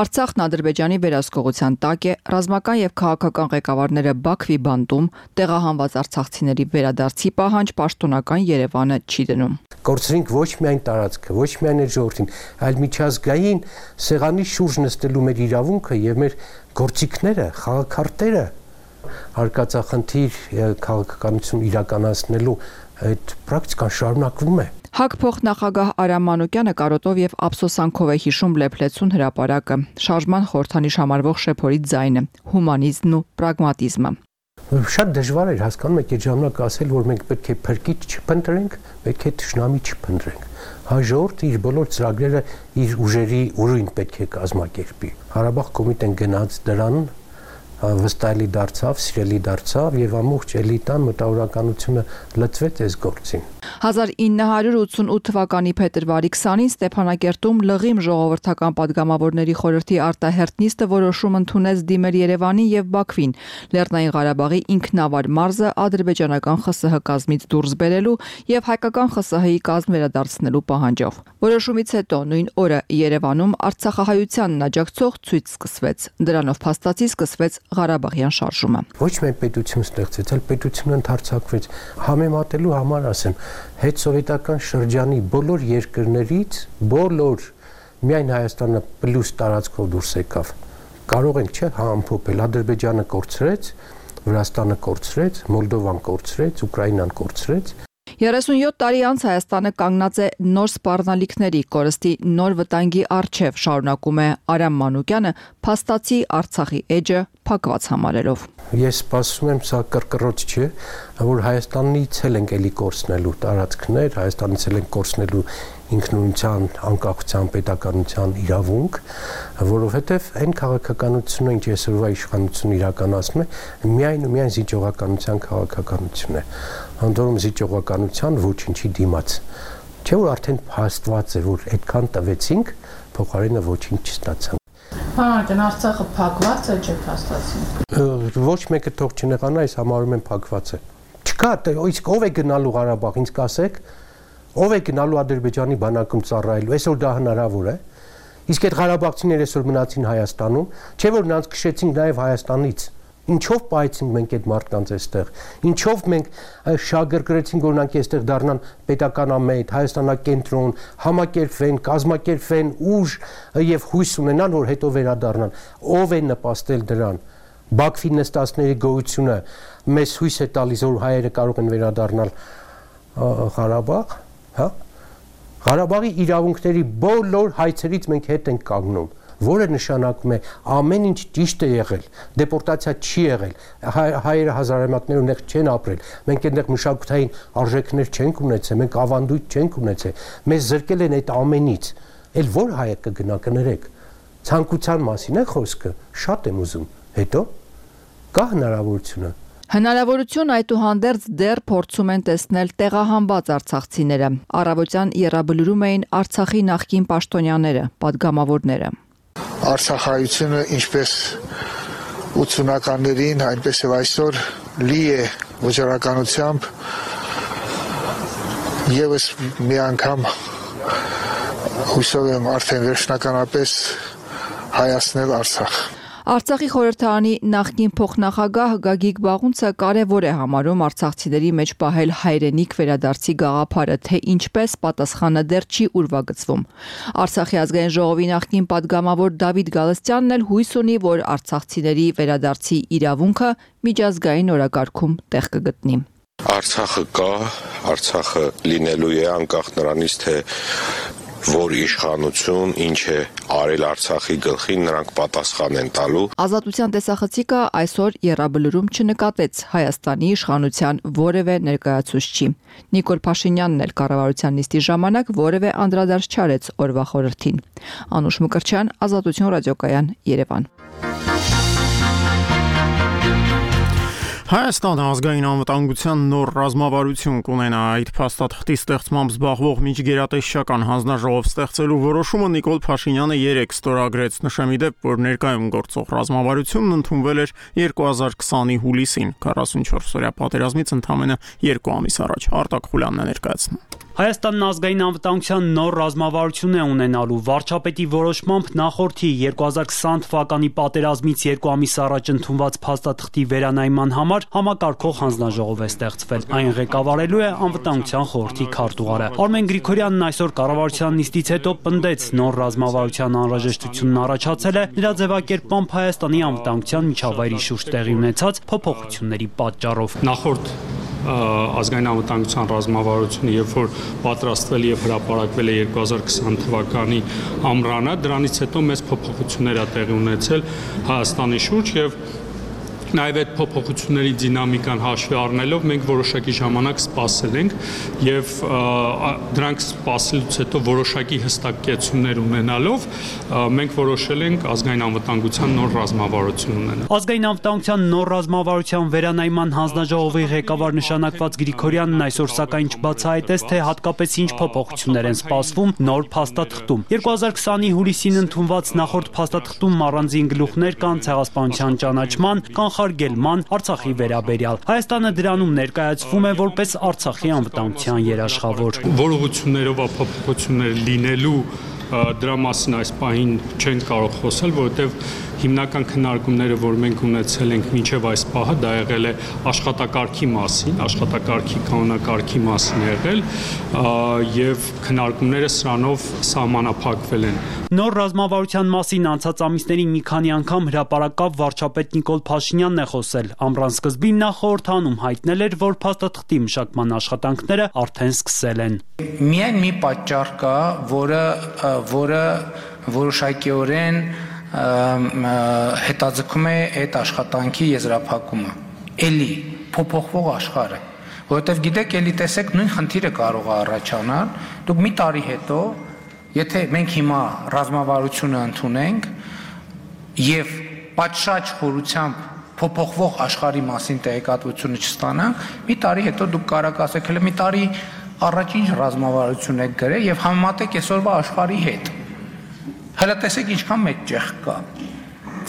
Արցախն Ադրբեջանի վերահսկողության տակ է, ռազմական եւ քաղաքական ղեկավարները Բաքվի բանտում, տեղահանված արցախցիների վերադարձի պահանջ պաշտոնական Երևանը չի դնում։ Կորցրինք ոչ միայն տարածքը, ոչ միայն այդ ժողովրդին, այլ միջազգային սեղանի շուրջ նստելու մեր իրավունքը եւ մեր գործիքները, խաղաքարտերը արկածախնդիր քաղաքականություն իրականացնելու այդ պրակտիկան շարունակվում է։ ՀԱԿ փոխնախագահ Արամ Մանուկյանը կարոտով եւ ափսոսանքով է հիշում Լեփլեցուն հրապարակը, շարժման խորհրդանիշ համարվող շեփորի ձայնը, հումանիզմն ու պրագմատիզմը։ Շատ դժվար էր հասկանում եք այդ ժամանակ ասել, որ մենք պետք է փրկիչ չփնտրենք, պետք է թշնամի չփնտրենք։ Հաջորդ իր բոլոր ծրագրերը իր ուժերի ուրույն պետք է կազմակերպի։ Ղարաբաղ կոմիտեն գնաց դրան, վստահելի դարձավ, սիրելի դարձավ եւ ամբողջ էլիտան մտավորականությունը լծվեց այս գործին։ հազար ինը հարյուր ութսունութ թվականի փետրվարի քսանին Ստեփանակերտում լղիմ ժողովրդական падգամավորների խորհրդի արտահերթ նիստը որոշում ընդունեց դիմել Երևանին եւ Բաքվին Լեռնային Ղարաբաղի ինքնավար մարզը ադրբեջանական Խ С Հ կազմից դուրս բերելու եւ հայկական Խ С Հ-ի կազմ վերադարձնելու պահանջով։ Որոշումից հետո նույն օրը Երևանում Արցախահայությանն աջակցող ցույց սկսվեց։ Դրանով փաստացի սկսվեց Ղարաբաղյան շարժումը։ Ոչ միայն պետություն ստեղծեց, այլ պետությունը ընդարձակվեց։ Համեմատելու համար ասեմ, հետսովետական շրջանի բոլոր երկրներից բոլոր միայն Հայաստանը պլյուս տարածքով դուրս եկավ։ Կարող ենք չէ համփոփել, Ադրբեջանը կորցրեց, Վրաստանը կորցրեց, Մոլդովան կորցրեց, Ուկրաինան կորցրեց։ երեսունյոթ տարի անց Հայաստանը կանգնած է նոր սպառնալիքների կորստի նոր վտանգի առջև, շարունակում է Արամ Մանուկյանը, փաստացի Արցախի էջը փակված համարելով։ Ես սպասում եմ, սա կրկռոց չէ, որ Հայաստանից էլ ենք էլի կորցնելու տարածքներ, Հայաստանից էլ ենք կորցնելու ինքնուրույնության, անկախության, պետականության իրավունք, որովհետև այն քաղաքականությունը, ինչ այսօրվա իշխանությունը իրականացնում է, միայն ու միայն զիջողականության քաղաքականություն է։ Անդորում զիջողականության ոչինչի դիմաց։ Չէ՞ որ արդեն փաստված է, որ այդքան տվեցինք, փոխարենը ոչինչ չստացանք։ Պարոն, Արցախը փակված է, չէ՞ փաստացին։ Ոչ մեկը թող չնեղանա, այս համարում եմ փակված է։ Չկա, իսկ ով է գնալու Ղարաբաղ, ինձ կասեք, ով է գնալու Ադրբեջանի բանակում ծառայելու, այսօր դա հնարավոր է։ Իսկ այդ ղարաբաղցիները այսօր մնացին Հայաստանում, չէ՞ որ նրանց քշեցինք նաև Հայաստանից։ Ինչով պահեցինք մենք այդ մարդկանց այստեղ։ Ինչով մենք շահագրգռեցինք, որ նրանք այստեղ դառնան պետականամետ, Հայաստանակենտրոն, համակերպվեն, կազմակերպվեն, ուժ եւ հույս ունենան, որ հետո վերադառնան։ Ով է նպաստել դրան։ Բաքվի նստածների գոյությունը մեզ հույս է տալիս, որ հայերը կարող են վերադառնալ Ղարաբաղ, հա։ Ղարաբաղի իրավունքների բոլոր հայցերից մենք հետ ենք կանգնում, որը նշանակում է ամեն ինչ ճիշտ է եղել, դեպորտացիա չի եղել, հայերը հազարամյակներ ունեղ չեն ապրել, մենք այնտեղ մշակութային արժեքներ չենք ունեցել, մենք ավանդույթ չենք ունեցել, մեզ զրկել են այդ ամենից, էլ որ հայը կգնա կներեք, ցանկության մասին է խոսքը, շատ եմ ուզում, հետո կա հնարավորությունը։ Հնարավորություն այդուհանդերձ դեռ փորձում են տեսնել տեղահանված արցախցիները։ Առավոտյան եռաբլուրում էին Արցախի նախկին պաշտոնյաները, падգամավորները։ Արցախայությունը ինչպես ութսունականներին, այնպես եւ այսօր լի է վճռականությամբ եւս մի անգամ հույսով եմ արդեն վերջնականապես հայացնել Արցախ։ Արցախի խորհրդարանի նախկին փոխնախագահ Գագիկ Բաղունցը կարևոր է համարում արցախցիների մեջ պահել հայրենիք վերադարձի գաղափարը, թե ինչպես պատասխանը դեռ չի ուրվագծվում։ Արցախի ազգային ժողովի նախկին падգամավոր Դավիթ Գալստյանն էլ հույս ունի, որ արցախցիների վերադարձի իրավունքը միջազգային օրակարգում տեղ կգտնի։ Արցախը կա, Արցախը լինելու է անկախ նրանից, թե որ իշխանություն ինչ է արել Արցախի գլխին, նրանք պատասխան են տալու։ Ազատության տեսախցիկը այսօր եռաբլուրում չնկատեց Հայաստանի իշխանության որևէ ներկայացուցչի։ Նիկոլ Փաշինյանն էլ կառավարության նիստի ժամանակ որևէ անդրադարձ չարեց օրվա խորհրդին։ Անուշ Մկրտչյան, Ազատություն ռադիոկայան, Երևան։ Հայաստանը ազգային անվտանգության նոր ռազմավարություն կունենա, այդ փաստաթղթի ստեղծմամբ զբաղվող միջգերատեսչական հանձնաժողով ստեղծելու որոշումը Նիկոլ Փաշինյանը երեկ ստորագրեց, նշեմ ի դեպ, որ ներկայում գործող ռազմավարությունն ընդունվել էր երկու հազար քսանի հուլիսին, քառասունչորս օրյա պատերազմից ընդամենը երկու ամիս առաջ։ Արտակ Խուլյանն է ներկայացնում։ Հայաստանն ազգային անվտանգության նոր ռազմավարություն է ունենալու, վարչապետի որոշմամբ նախորդի երկու հազար քսան թվականի պատերազմից երկու ամիս առաջ ընդունված փաստաթղթի վերանայման համար համակարգող հանձնաժողով է ստեղծվել։ Այն ղեկավարելու է անվտանգության խորհրդի քարտուղարը։ Արմեն Գրիգորյանն այսօր կառավարության նիստից հետո պնդեց, նոր ռազմավարության անհրաժեշտությունն առաջացել է նրա ձևակերպմամբ Հայաստանի անվտանգության միջավայրի շուրջ տեղի ունեցած փոփոխությունների պատճառով։ Նախորդ ազգային անվտանգության ռազմավարությունը, երբ որ պատրաստվել եւ հրապարակվել է երկու հազար քսան թվականի ամռանը, դրանից հետո մեծ փոփոխություններ ա տեղի ունեցել Հայաստանի շուրջ եւ Նաև այդ փոփոխությունների դինամիկան հաշվի առնելով մենք որոշակի ժամանակ սպասել ենք եւ դրանք սպասելուց հետո որոշակի հստակեցումներ ունենալով մենք որոշել ենք ազգային անվտանգության նոր ռազմավարություն ունենալ։ Ազգային անվտանգության նոր ռազմավարության վերանայման հանձնաժողովի ղեկավար նշանակված Գրիգորյանն այսօր սակայն չբացահայտեց, թե հատկապես ինչ փոփոխություններ են սպասվում նոր փաստաթղթում։ երկու հազար քսանի հուլիսին ընդունված նախորդ փաստաթղթում առանձին գլուխներ կան ցեղասպանության ճանաչման, կանխարգելման, Արցախի վերաբերյալ։ Հայաստանը դրանում ներկայացվում է որպես Արցախի անվտանգության երաշխավոր։ Որողություններով փոփոխություններ լինելու դրա մասին այս պահին չենք կարող խոսել, որովհետև հիմնական քննարկումները, որ մենք ունեցել ենք մինչև այս պահը, դա եղել է աշխատակարգի մասին, աշխատակարգի կանոնակարգի մասին եղել եւ քննարկումները սրանով սահմանափակվել են։ Նոր ռազմավարության մասին անցած ամիսներին մի քանի անգամ հրապարակավ վարչապետ Նիկոլ Փաշինյանն է խոսել։ Ամռան սկզբին նա խորհրդանում հայտնել էր, որ փաստաթղթի մշակման աշխատանքները արդեն սկսել են։ Միայն մի պատճառ կա, որը որը որոշակիորեն հետաձգում է այդ աշխատանքի եզրափակումը։ Էլի փոփոխվող աշխարհը, որովհետև գիտեք, էլի տեսեք, նույն խնդիրը կարող է առաջանալ։ Դուք մի տարի հետո, եթե մենք հիմա ռազմավարությունը ընդունենք եւ պատշաճ խորությամբ փոփոխվող աշխարհի մասին տեղեկատվությունը չստանանք, մի տարի հետո դուք կարող ասեք, հələ մի տարի առաջ ինչ ռազմավարություն եք գրել եւ համեմատեք այսօրվա աշխարհի հետ։ Հələ տեսեք ինչքան մեծ ճեղք կա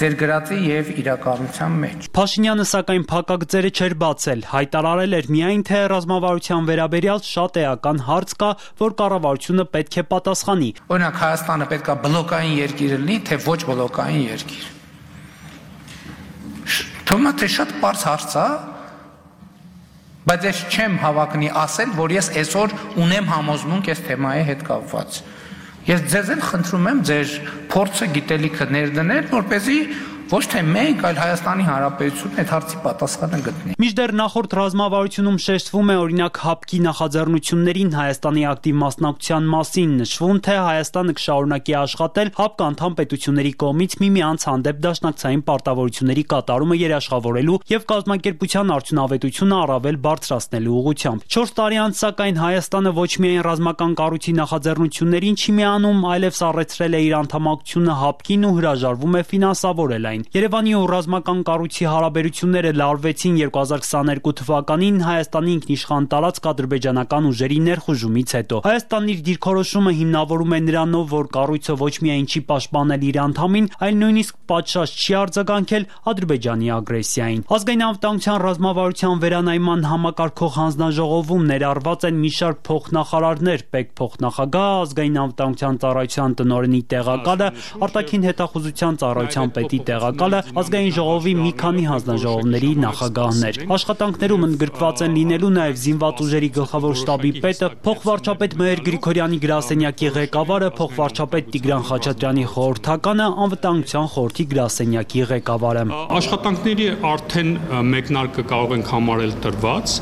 ձեր գրածի եւ իրականության մեջ։ Փաշինյանը սակայն փակագծերը չէր բացել, հայտարարել էր միայն, թե ռազմավարության վերաբերյալ շատ էական հարց կա, որ կառավարությունը պետք է պատասխանի։ Օրինակ Հայաստանը պետք է բլոկային երկիր լինի, թե ոչ բլոկային երկիր։ Թվում է, թե շատ པարզ հարց է, բայց ես չեմ հավակնի ասել, որ ես այսօր ունեմ համոզմունք այս թեմայի հետ կապված։ Ես ձեզ էլ խնդրում եմ ձեր փորձը գիտելիքը ներդնել, որպեսզի ոչ թե մենք, այլ Հայաստանի Հանրապետությունն այդ հարցի պատասխանը գտնի։ Մինչդեռ նախորդ ռազմավարությունում շեշտվում է օրինակ ՀԱՊԿ-ի նախաձեռնություններին Հայաստանի ակտիվ մասնակցության մասին, նշվում, թե Հայաստանը կշարունակի աշխատել ՀԱՊԿ անդամ պետությունների կողմից միմյանց հանդեպ դաշնակցային պարտավորությունների կատարումը երաշխավորելու եւ կազմակերպության արդյունավետությունը առավել բարձրացնելու ուղղությամբ։ չորս տարի անց սակայն Հայաստանը ոչ միայն ռազմական կառույցի նախաձեռնություններին չի միանում, այլև սառեցրել է իր անդամակցությունը ՀԱՊԿ-ին ու հրաժարվում է ֆինանսավորել այն։ Երևանի ու ռազմական կառույցի հարաբերությունները լարվեցին երկու հազար քսաներկու թվականին Հայաստանի ինքնիշխան տարածք ադրբեջանական ուժերի ներխուժումից հետո։ Հայաստանն իր դիրքորոշումը հիմնավորում է նրանով, որ կառույցը ոչ միայն չի պաշտպանել իր անդամին, այլ նույնիսկ պատշաճ չի արձագանքել Ադրբեջանի ագրեսիային։ Ազգային անվտանգության ռազմավարության վերանայման համակարգող հանձնաժողովում ներառված են մի շարք փոխնախարարներ, պետ փոխնախագահ, ազգային անվտանգության ծառայության տնօրենի տեղակալը, արտաքին հետախուզության ծառայության պետի տեղակալը, ակնկալը ազգային ժողովի մի քանի հանձնաժողովների նախագահներ։ Աշխատանքներում ընդգրկված են լինելու նաև զինված ուժերի գլխավոր շտաբի պետը, փոխվարչապետ Մհեր Գրիգորյանի գրասենյակի ղեկավարը, փոխվարչապետ Տիգրան Խաչատրյանի խորհրդականը, անվտանգության խորհրդի գրասենյակի ղեկավարը։ Աշխատանքների արդեն մեկնարկը կարող ենք համարել տրված,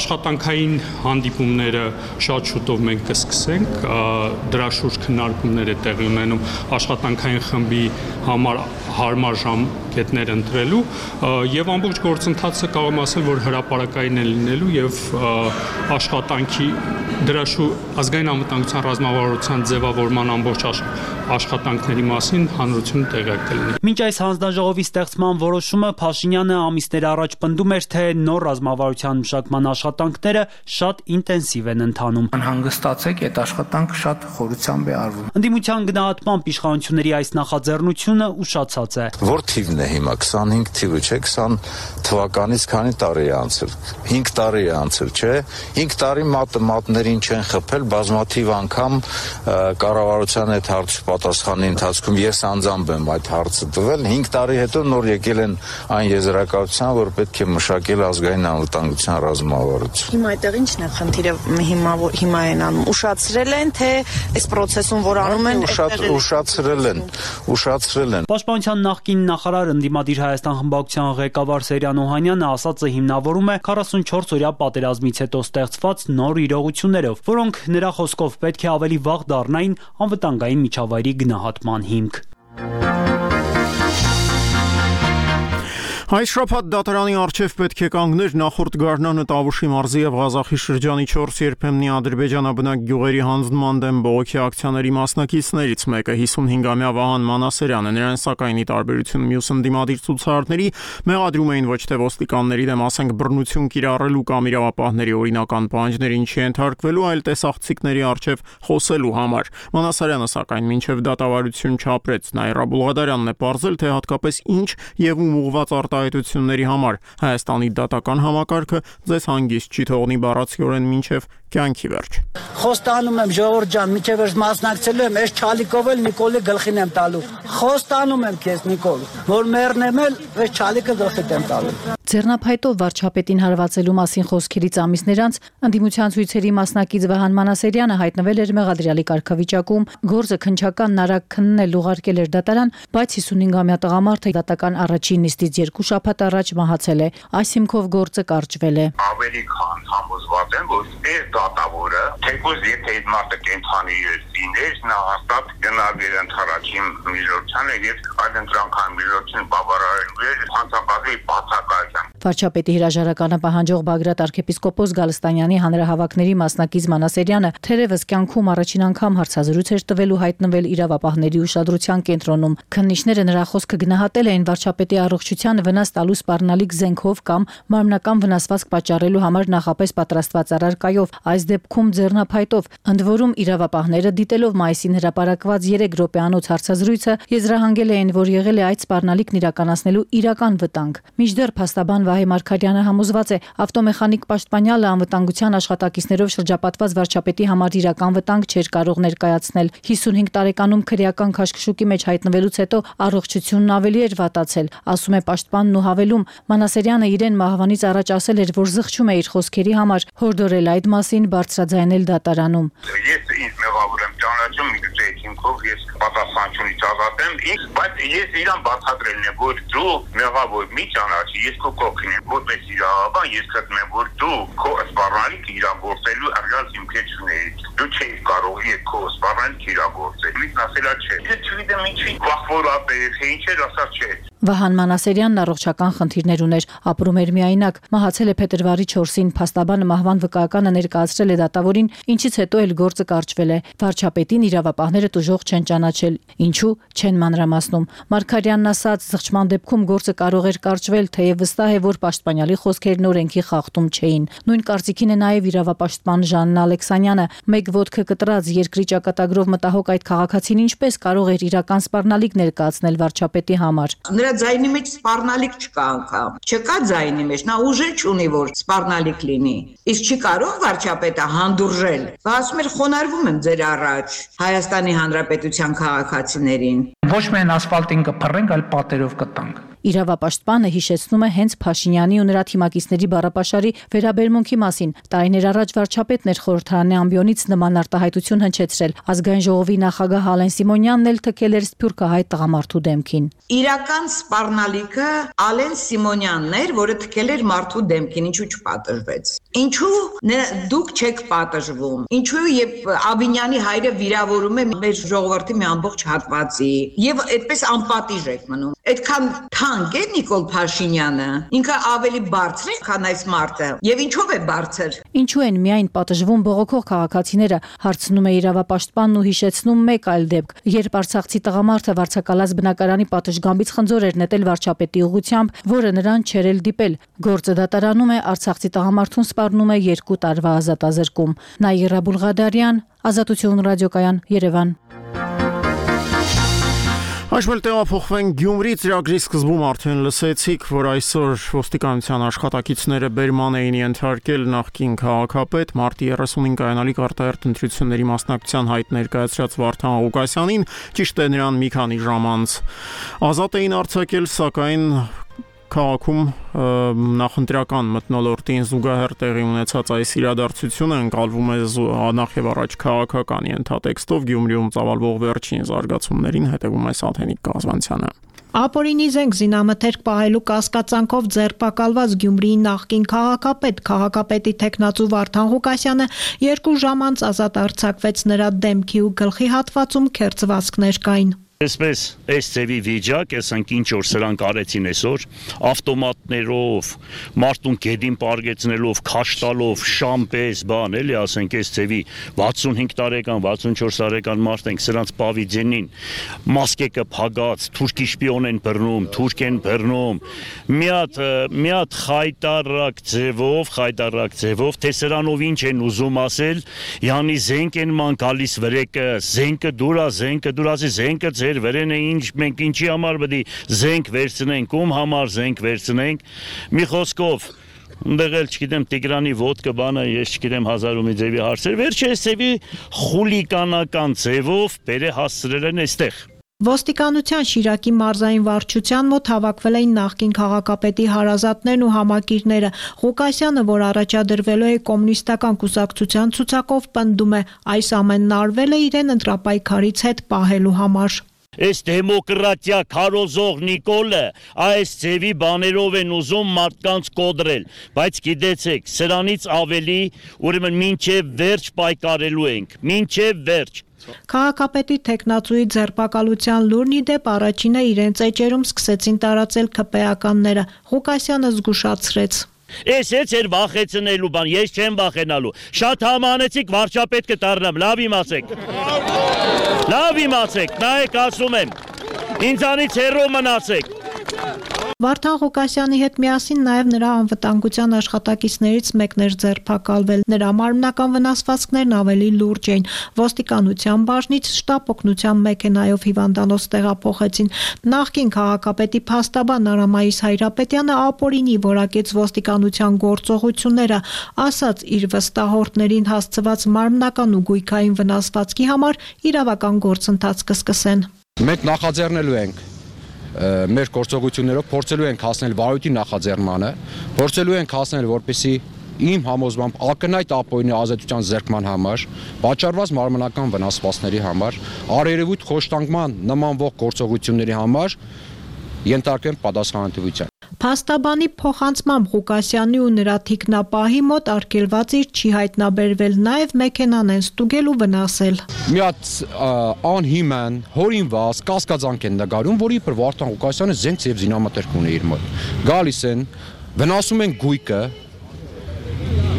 աշխատանքային հանդիպումները շատ շուտով մենք կսկսենք, դրա շուրջ քննարկումներ է տեղի ունենում աշխատանքային խմբի համար հարմար ժամկետներ ընտրելու եւ ամբողջ գործընթացը կարող եմ ասել, որ հրապարակային է լինելու եւ աշխատանքի դրա շուրջ ազգային անվտանգության ռազմավարության ձևավորման ամբողջ աշխատանքների մասին հանրությունը տեղյակ կլինի։ Մինչ այս հանձնաժողովի ստեղծման որոշումը Փաշինյանը ամիսներ առաջ պնդում էր, թե նոր ռազմավարության մշակման աշխատանքները շատ ինտենսիվ են ընթանում։ Անհանգստացեք, այդ աշխատանքը շատ խորությամբ է արվում։ Ընդդիմության գնահատմամբ իշխանությունների այս նախաձեռնությունը ուշացած է։ Որ թիվն է հիմա քսանհինգ թիվը չէ, քսան թվականից քանի տարի է անցել։ հինգ տարի է անցել, չէ։ հինգ տարի մատը մատներին չեն խփել, բազմաթիվ անգամ կառավարության այդ հարցի պատասխանի ընթացքում ես անձամբ եմ այդ հարցը տվել։ հինգ տարի հետո նոր եկել են այն եզրակացության, որ պետք է մշակել ազգային անվտանգության ռազմավարություն։ Հիմա այդտեղ ի՞նչն է խնդիրը, հիմա հիմա են անում։ Ուշացրել են, թե այս process-ում որ անում են, ուշացրել են, ուշացրել են։ Պաշտպանության նախկին նախարար ընդդիմադիր Հայաստան խմբակցության ղեկավար Սերյան Օհանյանը ասածը հիմնավորում է քառասունչորս օրյա պատերազմից հետո ստեղծված նոր իրողություններով, որոնք նրա խոսքով պետք է ավելի վաղ դառնային անվտանգային միջավայրի գնահատման հիմք։ Այս շաբաթ դատարանի առջև պետք է կանգներ նախորդ գարնանը Տավուշի մարզի եւ Ղազախի շրջանի չորս երբեմնի ադրբեջանաբնակ գյուղերի հանձնման դեմ բողոքի ակցիաների մասնակիցներից մեկը հիսունհինգամյա Վահան Մանասարյանը, նրան սակայն ի տարբերություն մյուս ընդդիմադիր ցուցարարների մեղադրում էին ոչ թե ոստիկանների դեմ, ասենք բռնություն կիրառելու կամ իրավապահների օրինական պահանջներին չենթարկվելու, այլ տեսախցիկների առջև խոսելու համար։ Մանասարյանը սակայն մինչև դատավարություն չապրեց։ Նաիրա Բուլղադարյանն է պարզել, թե հատկապես ինչ եւ ում ուղղված արտահայտությունների համար Հայաստանի դատական համակարգը ձեզ հանգիստ չի թողնի բառացիորեն մինչև կյանքի վերջ։ Խոստանում եմ ժողովուրդ ջան, մինչև վերջ մասնակցելու եմ, այս չալիկով էլ Նիկոլի գլխին եմ տալու։ Խոստանում եմ քեզ Նիկոլ, որ մեռնեմ էլ այս չալիկը գլխիդ եմ տալու։ Ձեռնափայտով վարչապետին հարվածելու մասին խոսքերից ամիսներ անց ընդդիմության ցույցերի մասնակից Վահան Մանասարյանը հայտնվել էր մեղադրյալի կարգավիճակում, գործը քննչական նարակ քննել ուղարկել էր դատարան, բայց հիսունհինգամյա տղամարդը դատական առաջին նիստից երկու շաբաթ առաջ մահացել է։ Այս հիմքով գործը կարճվել է։ Ավելի քան համոզված եմ, որ այս դատավորը թեկուզ եթե այդ մարդը կենթանի լիներ, նա հաստատ գնալու էր ընդհանրին միջոցանը եւ այդ ընտրանքային միջոցին բավարարելու էր հանցապատի բացակայության։ Վարչապետի հրաժարականը պահանջող Բագրատ arczepiskopos Գալստանյանի հանրահավաքների մասնակից Մանասարյանը թերևս կյանքում առաջին անգամ հարցազրույց էր տվել ու հայտնվել իրավապահների ուշադրության կենտրոնում։ Քննիչները նրա խոսքը գնահատել էին վարչապետի առողջության վնաս տալու սպառնալիք զենքով կամ մարմնական վնասվածք պատճառելու համար նախապես պատրաստված առարկայով, այս դեպքում ձեռնափայտով։ Ընդ որում իրավապահները դիտելով մայիսին հրապարակված երեք րոպեանոց հարցազրույցը եզրահանգել էին, որ եղել է այդ սպառնալիքն իրականացնելու իրական վտանգ։ Մինչդեռ փաստաբան Վահե Մարգարյանը համոզված է, ավտոմեխանիկ Պաշտպանյալը անվտանգության աշխատակիցներով շրջապատված վարչապետի համար իրական վտանգ չէր կարող ներկայացնել։ հիսունհինգ տարեկանում քրեական քաշքշուկի մեջ հայտնվելուց հետո առողջությունն ավելի էր վատացել, ասում է պաշտպանն ու հավելում, Մանասարյանը իրեն մահվանից առաջ ասել էր, որ զղջում է իր խոսքերի համար, հորդորել այդ մասին բարձրաձայնել դատարանում։ Ես ինձ մեղավոր եմ ճանաչում, միգուցե հիմքով ես պատասխանատվությունից ազատ եմ, բայց ես իրան բացատրելն է, որ դու մեղավոր մի ճանաչի, ես քո կողքին եմ, որպես իրավաբան ես գտնում եմ, որ դու քո սպառնալիքը իրագործելու արժան հիմքեր չունեիր։ Դու չէիր կարող իր քո սպառնալիքը իրագործել։ Ինձ ասելա չէ։ Ես չգիտեմ ինչի վախվորապեր, թե ինչ էր ասած չէ։ Վահան Մանասարյանն առողջական խնդիրներ ուներ, ապրում էր միայնակ, մահացել է փետրվարի չորսին, փաստաբանը մահվան վկայականը ներկայացրել է դատավորին, ինչից հետո էլ գործը կարճվել է։ Վարչապետին իրավապահները տուժող չեն ճանաչել, ինչու չեն մանրամասնում։ Մարգարյանն ասաց, զղջման դեպքում գործը կարող էր կարճվել, թեև վստահ է, որ պաշտպանյալի խոսքերն օրենքի խախտում չէին։ Նույն կարծիքին է նաև իրավապաշտպան Ժաննա Ալեքսանյանը, մեկ ոտքը կտրած երկրի ճակատագրով մտահոգ այդ քաղաքացին ինչպես կարող էր իրական սպառնալիք ներկայացնել վարչապետի համար։ Նրա ձայնի մեջ սպառնալիք չկա անգամ։ Չկա ձայնի մեջ, նա ուժ չունի, որ սպառնալիք լինի։ Իսկ չի կարող վարչապետը հանդուրժել։ Բա ասում էր խոնարհվում եմ ձեր առաջ Հայաստանի Հանրապետության քաղաքացիներին։ Ոչ միայն ասֆալտին կփռենք, այլ պատերով կտանք։ Իրավապաշտպանը հիշեցնում է հենց Փաշինյանի ու նրա թիմակիցների բառապաշարի վերաբերմունքի մասին։ Տարիներ առաջ վարչապետն էր խորհրդարանի ամբիոնից նման արտահայտություն հնչեցրել։ Ազգային ժողովի նախագահ Ալեն Սիմոնյանն էլ թքել էր սփյուռքահայ տղամարդու դեմքին։ Իրական սպառնալիքը Ալեն Սիմոնյանն էր, որը թքել էր մարդու դեմքին, ինչու չպատժվեց։ Ինչու դուք չեք պատժվում։ Ինչու եւ Աբինյանի հայրը վիրավորում է մեր ժողովրդի մի ամբողջ հատվածի եւ այդպես անպատիժ եք մնում։ Այդքան թանկ է Նիկոլ Փաշինյանը, ինքը ավելի բարձր է, քան այս մարդը։ Եվ ինչով է բարձր։ Ինչու են միայն պատժվում բողոքող քաղաքացիները, հարցնում է իրավապաշտպանն ու հիշեցնում մեկ այլ դեպք, երբ արցախցի տղամարդը վարձակալած բնակարանի պատշգամբից խնձոր էր նետել վարչապետի ուղղությամբ, որը նրան չէր էլ դիպել։ Գործը դատարանում է, արցախցի տղամարդուն սպառնում է երկու տարվա ազատազրկում։ Նաիրա Բուլղադարյան, Ազատություն ռադիոկայան, Երևան։ Այժմ տեղափոխվենք Գյումրի ծրագրի սկզբում արդեն լսեցիք, որ այսօր ոստիկանության աշխատակիցները բերման էին ենթարկել նախկին քաղաքապետ մարտի երեսունին կայանալիք արտահերթ ընտրությունների մասնակցության հայտ ներկայացրած Վարդան Ղուկասյանին, ճիշտ է նրան մի քանի ժամ անց ազատ էին արձակել, սակայն քաղաքում նախընտրական մթնոլորտին զուգահեռ տեղի ունեցած այս իրադարձությունը ընկալվում է նախ եւ առաջ քաղաքական ենթատեքստով Գյումրիում ծավալվող վերջին զարգացումներին հետևում է Սաթենիկ Կազվանցյանը։ Ապօրինի զենք զինամթերք պահելու կասկածանքով ձերբակալված Գյումրիի նախկին քաղաքապետ, քաղաքապետի թեկնածու Վարդան Ղուկասյանը երկու ժամ անց ազատ արձակվեց, նրա դեմքի ու գլխի հատվածում քերծվածքներ կային։ Այսպես այս ծևի վիճակ, ասենք ինչ որ սրանք արեցին այսօր, ավտոմատներով, մարդուն գեդին պարգեցնելով, քաշտալով, շամպես, բան, էլի, ասենք այս ծևի վաթսունհինգ տարեկան, վաթսունչորս տարեկան մարդ ենք, սրանց պավիձենին, մասկեկը փագած, թուրքի շպիոն են բռնում, թուրք են բռնում, մի հատ, մի հատ խայտարակ ձևով, խայտարակ ձևով, թե սրանով ինչ են ուզում ասել, յանի զենք են ման գալիս վրեկը, զենքը դուրա, զենքը դուրա, զենքը ձեր վերեն է ինչ, մենք ինչի համար պետք է զենք վերցնենք, ում համար զենք վերցնենք, մի խոսքով Ունդեղ էլ չգիտեմ Տիգրանի ոդկը բանը, ես չգիտեմ հազար ու մի ձևի հարցեր, վերջը այս ձևի խուլիկանական ձևով բերե հասցրել են այստեղ։ Ոստիկանության Շիրակի մարզային վարչության մոտ հավաքվել էին նախկին քաղաքապետի հարազատներն ու համակիրները։ Ղուկասյանը, որ առաջադրվելու է կոմունիստական կուսակցության ցուցակով, պնդում է, այս ամենն արվել է իրեն ընտրապայքարից հետ պահելու համար։ Այս դեմոկրատիա քարոզող Նիկոլը այս ձևի բաներով են ուզում մարդկանց կոդրել, բայց գիտեցեք, սրանից ավելի ուրեմն մինչև վերջ պայքարելու ենք, մինչև վերջ։ Քաղաքապետի թեկնածուի ձերբակալության լուրն ի դեպ առաջինը իրենց էջերում սկսեցին տարածել ՔՊ-ականները։ Ղուկասյանը զգուշացրեց. Ես ես էր վախեցնելու բան, ես չեմ վախենալու։ Շատ համանեցիք վարչապետ կդառնամ, լավ իմացեք։ Լավ իմացեք, նայեք ասում եմ։ Ինձանից հեռու մնացեք։ Վարդան Ղուկասյանի հետ միասին նաև նրա անվտանգության աշխատակիցներից մեկն էր ձերբակալվել։ Նրա մարմնական վնասվածքներն ավելի լուրջ էին։ Ոստիկանության բաժնից շտապ օգնության մեքենայով հիվանդանոց տեղափոխեցին։ Նախկին քաղաքապետի փաստաբան Արամայիս Հայրապետյանը ապօրինի որակեց ոստիկանության գործողությունները, ասաց իր վստահորդներին հասցված մարմնական ու գույքային վնասվածքի համար իրավական գործընթաց կսկսեն։ Մենք նախաձեռնելու ենք մեր գործողություններով փորձելու ենք հասնել վարույթի նախաձեռնմանը, փորձելու ենք հասնել, որպեսզի իմ համոզմամբ ակնհայտ ապօրինի ազատության զերկման համար, պատճառված մարմնական վնասվածքների համար, առերևույթ խոշտանգման նմանվող գործողությունների համար ենթարկվեն պատասխանատվության։ Փաստաբանի փոխանցմամբ Ղուկասյանի ու նրա թիկնապահի մոտ արգելված իր չի հայտնաբերվել, նաև մեքենան են ստուգել ու վնասել։ Մի հատ անհիմն, հորինված կասկածանք են նկարում, որի પર Վարդան Ղուկասյանը զենք եւ զինամթերք ունի իր մոտ։ Գալիս են, վնասում են գույքը,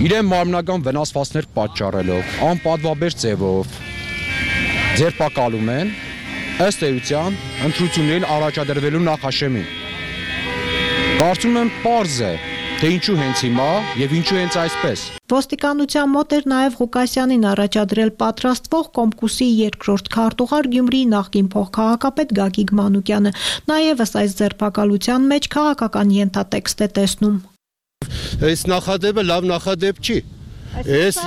իրեն մարմնական վնասվածքներ պատճառելով, անպատվաբեր ձևով ձերբակալում են, ըստ էության ընտրություններին առաջադրվելու նախաշեմին։ Կարծում եմ պարզ է, թե ինչու հենց հիմա եւ ինչու հենց այսպես։ Ոստիկանության մոտ էր նաև Ղուկասյանին առաջադրել պատրաստվող Կոմկուսի երկրորդ քարտուղար Գյումրիի նախկին փոխքաղաքապետ Գագիկ Մանուկյանը, նա ևս այս ձերբակալության մեջ քաղաքական ենթատեքստ է տեսնում։ Այս նախադեպը լավ նախադեպ չի։ Այս